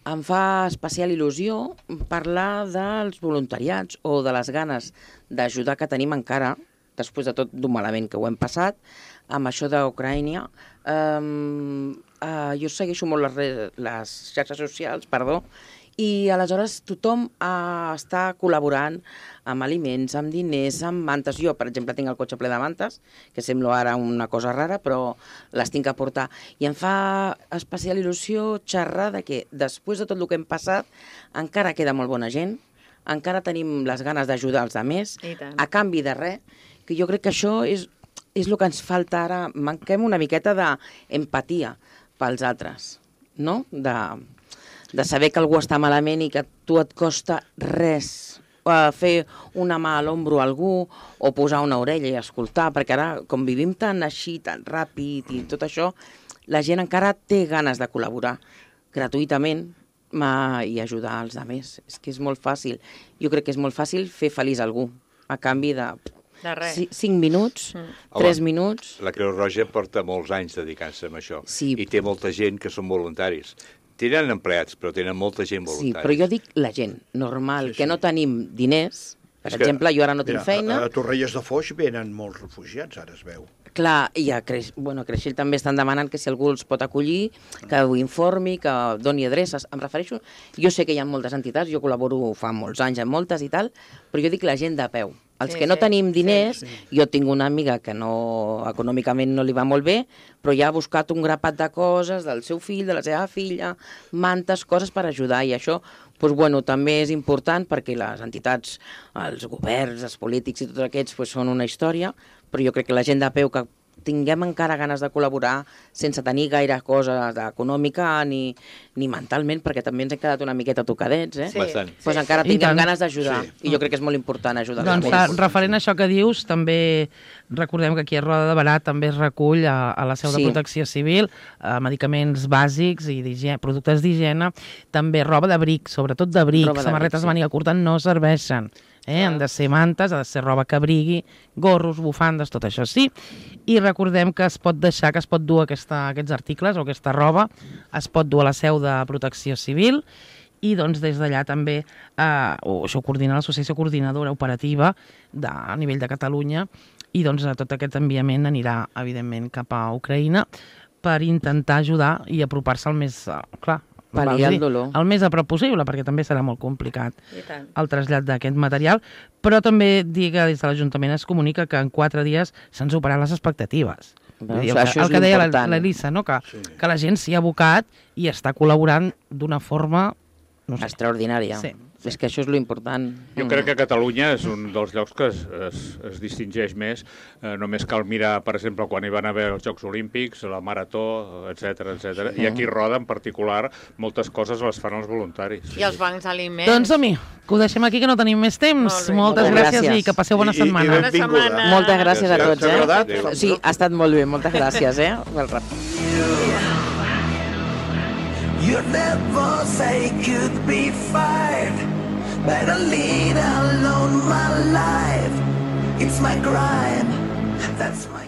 em fa especial il·lusió parlar dels voluntariats o de les ganes d'ajudar que tenim encara, després de tot d'un malament que ho hem passat, amb això d'Ucraïna. Um, uh, jo segueixo molt les, re- les xarxes socials, perdó, i aleshores tothom uh, està col·laborant amb aliments, amb diners, amb mantes. Jo, per exemple, tinc el cotxe ple de mantes, que sembla ara una cosa rara, però les tinc que portar. I em fa especial il·lusió xerrar de que després de tot el que hem passat encara queda molt bona gent, encara tenim les ganes d'ajudar els altres, I tant. a canvi de res, que jo crec que això és, és el que ens falta ara. Manquem una miqueta d'empatia pels altres, no? De, de saber que algú està malament i que a tu et costa res uh, fer una mà a l'ombro a algú o posar una orella i escoltar, perquè ara, com vivim tan així, tan ràpid i tot això, la gent encara té ganes de col·laborar gratuïtament ma, i ajudar els altres. És que és molt fàcil. Jo crec que és molt fàcil fer feliç algú a canvi de De res. ci- cinc minuts, Mm. tres Home, minuts. La Creu Roja porta molts anys dedicant-se a això. Sí. I té molta gent que són voluntaris. Tenen empleats, però tenen molta gent Sí, voluntaria. però jo dic la gent normal, Sí, sí. que no tenim diners. Per És que- exemple, jo ara no tinc Mira, feina. A, a Torrelles de Foix venen molts refugiats, ara es veu. Clar, i a, Creix... bueno, a Creixell també estan demanant que si algú els pot acollir, que ho informi, que doni adreces. Em refereixo... Jo sé que hi ha moltes entitats, jo col·laboro fa molts anys amb moltes i tal, però jo dic la gent de peu. Els Sí, que no sí, tenim diners, sí. jo tinc una amiga que no, econòmicament no li va molt bé, però ja ha buscat un grapat de coses del seu fill, de la seva filla, mantes, coses per ajudar, i això doncs, bueno, també és important perquè les entitats, els governs, els polítics i tots aquests doncs, són una història, però jo crec que la gent de peu que tinguem encara ganes de col·laborar sense tenir gaire cosa econòmica ni, ni mentalment, perquè també ens hem quedat una miqueta tocadets, eh? Sí. Bastant. Pues encara I tinguem tant. ganes d'ajudar. Sí. I jo crec que és molt important ajudar. Doncs els fa, altres. referent a això que dius, també recordem que aquí a Roda de Barà també es recull a, a la seu de Sí. Protecció Civil eh, medicaments bàsics i d'higie- productes d'higiene, també roba d'abric, sobretot d'abric, Roba d'abric, samarretes sí. de màniga curta no serveixen. Eh? Han de ser mantes, ha de ser roba que abrigui, gorros, bufandes, tot això sí. I recordem que es pot deixar, que es pot dur aquesta, aquests articles o aquesta roba, es pot dur a la seu de Protecció Civil i doncs des d'allà també eh, o això ho coordina l'Associació Coordinadora Operativa de, a nivell de Catalunya i doncs eh, tot aquest enviament anirà evidentment cap a Ucraïna per intentar ajudar i apropar-se al més, eh, clar, Pal·liar vols dir, el dolor. el més a prop possible, perquè també serà molt complicat I tant. el trasllat d'aquest material, però també dir que des de l'Ajuntament es comunica que en quatre dies s'han superat les expectatives. Vull dir, el, Això que, és el que deia l'important. l'Elisa, no? que, Sí. que la gent s'hi ha abocat i està col·laborant d'una forma... No sé. Extraordinària. Sí. És que això és lo important. Jo crec que Catalunya és un dels llocs que es, es, es distingeix més. Eh, només cal mirar, per exemple, quan hi van haver els Jocs Olímpics, la Marató, etcètera, etcètera. I aquí a Roda, en particular, moltes coses les fan els voluntaris. I els bancs d'aliments. Doncs, home, que ho deixem aquí, que no tenim més temps. Molt bé. Moltes Moltes gràcies, gràcies. i que passeu bona I- i- i setmana. Bona benvinguda. setmana. Moltes gràcies a Gràcies. tots, T'ha agradat? eh? Sí, ha estat molt bé, moltes gràcies, eh? Pel rap. You never say could be fired. Better lead alone my life. It's my crime. That's my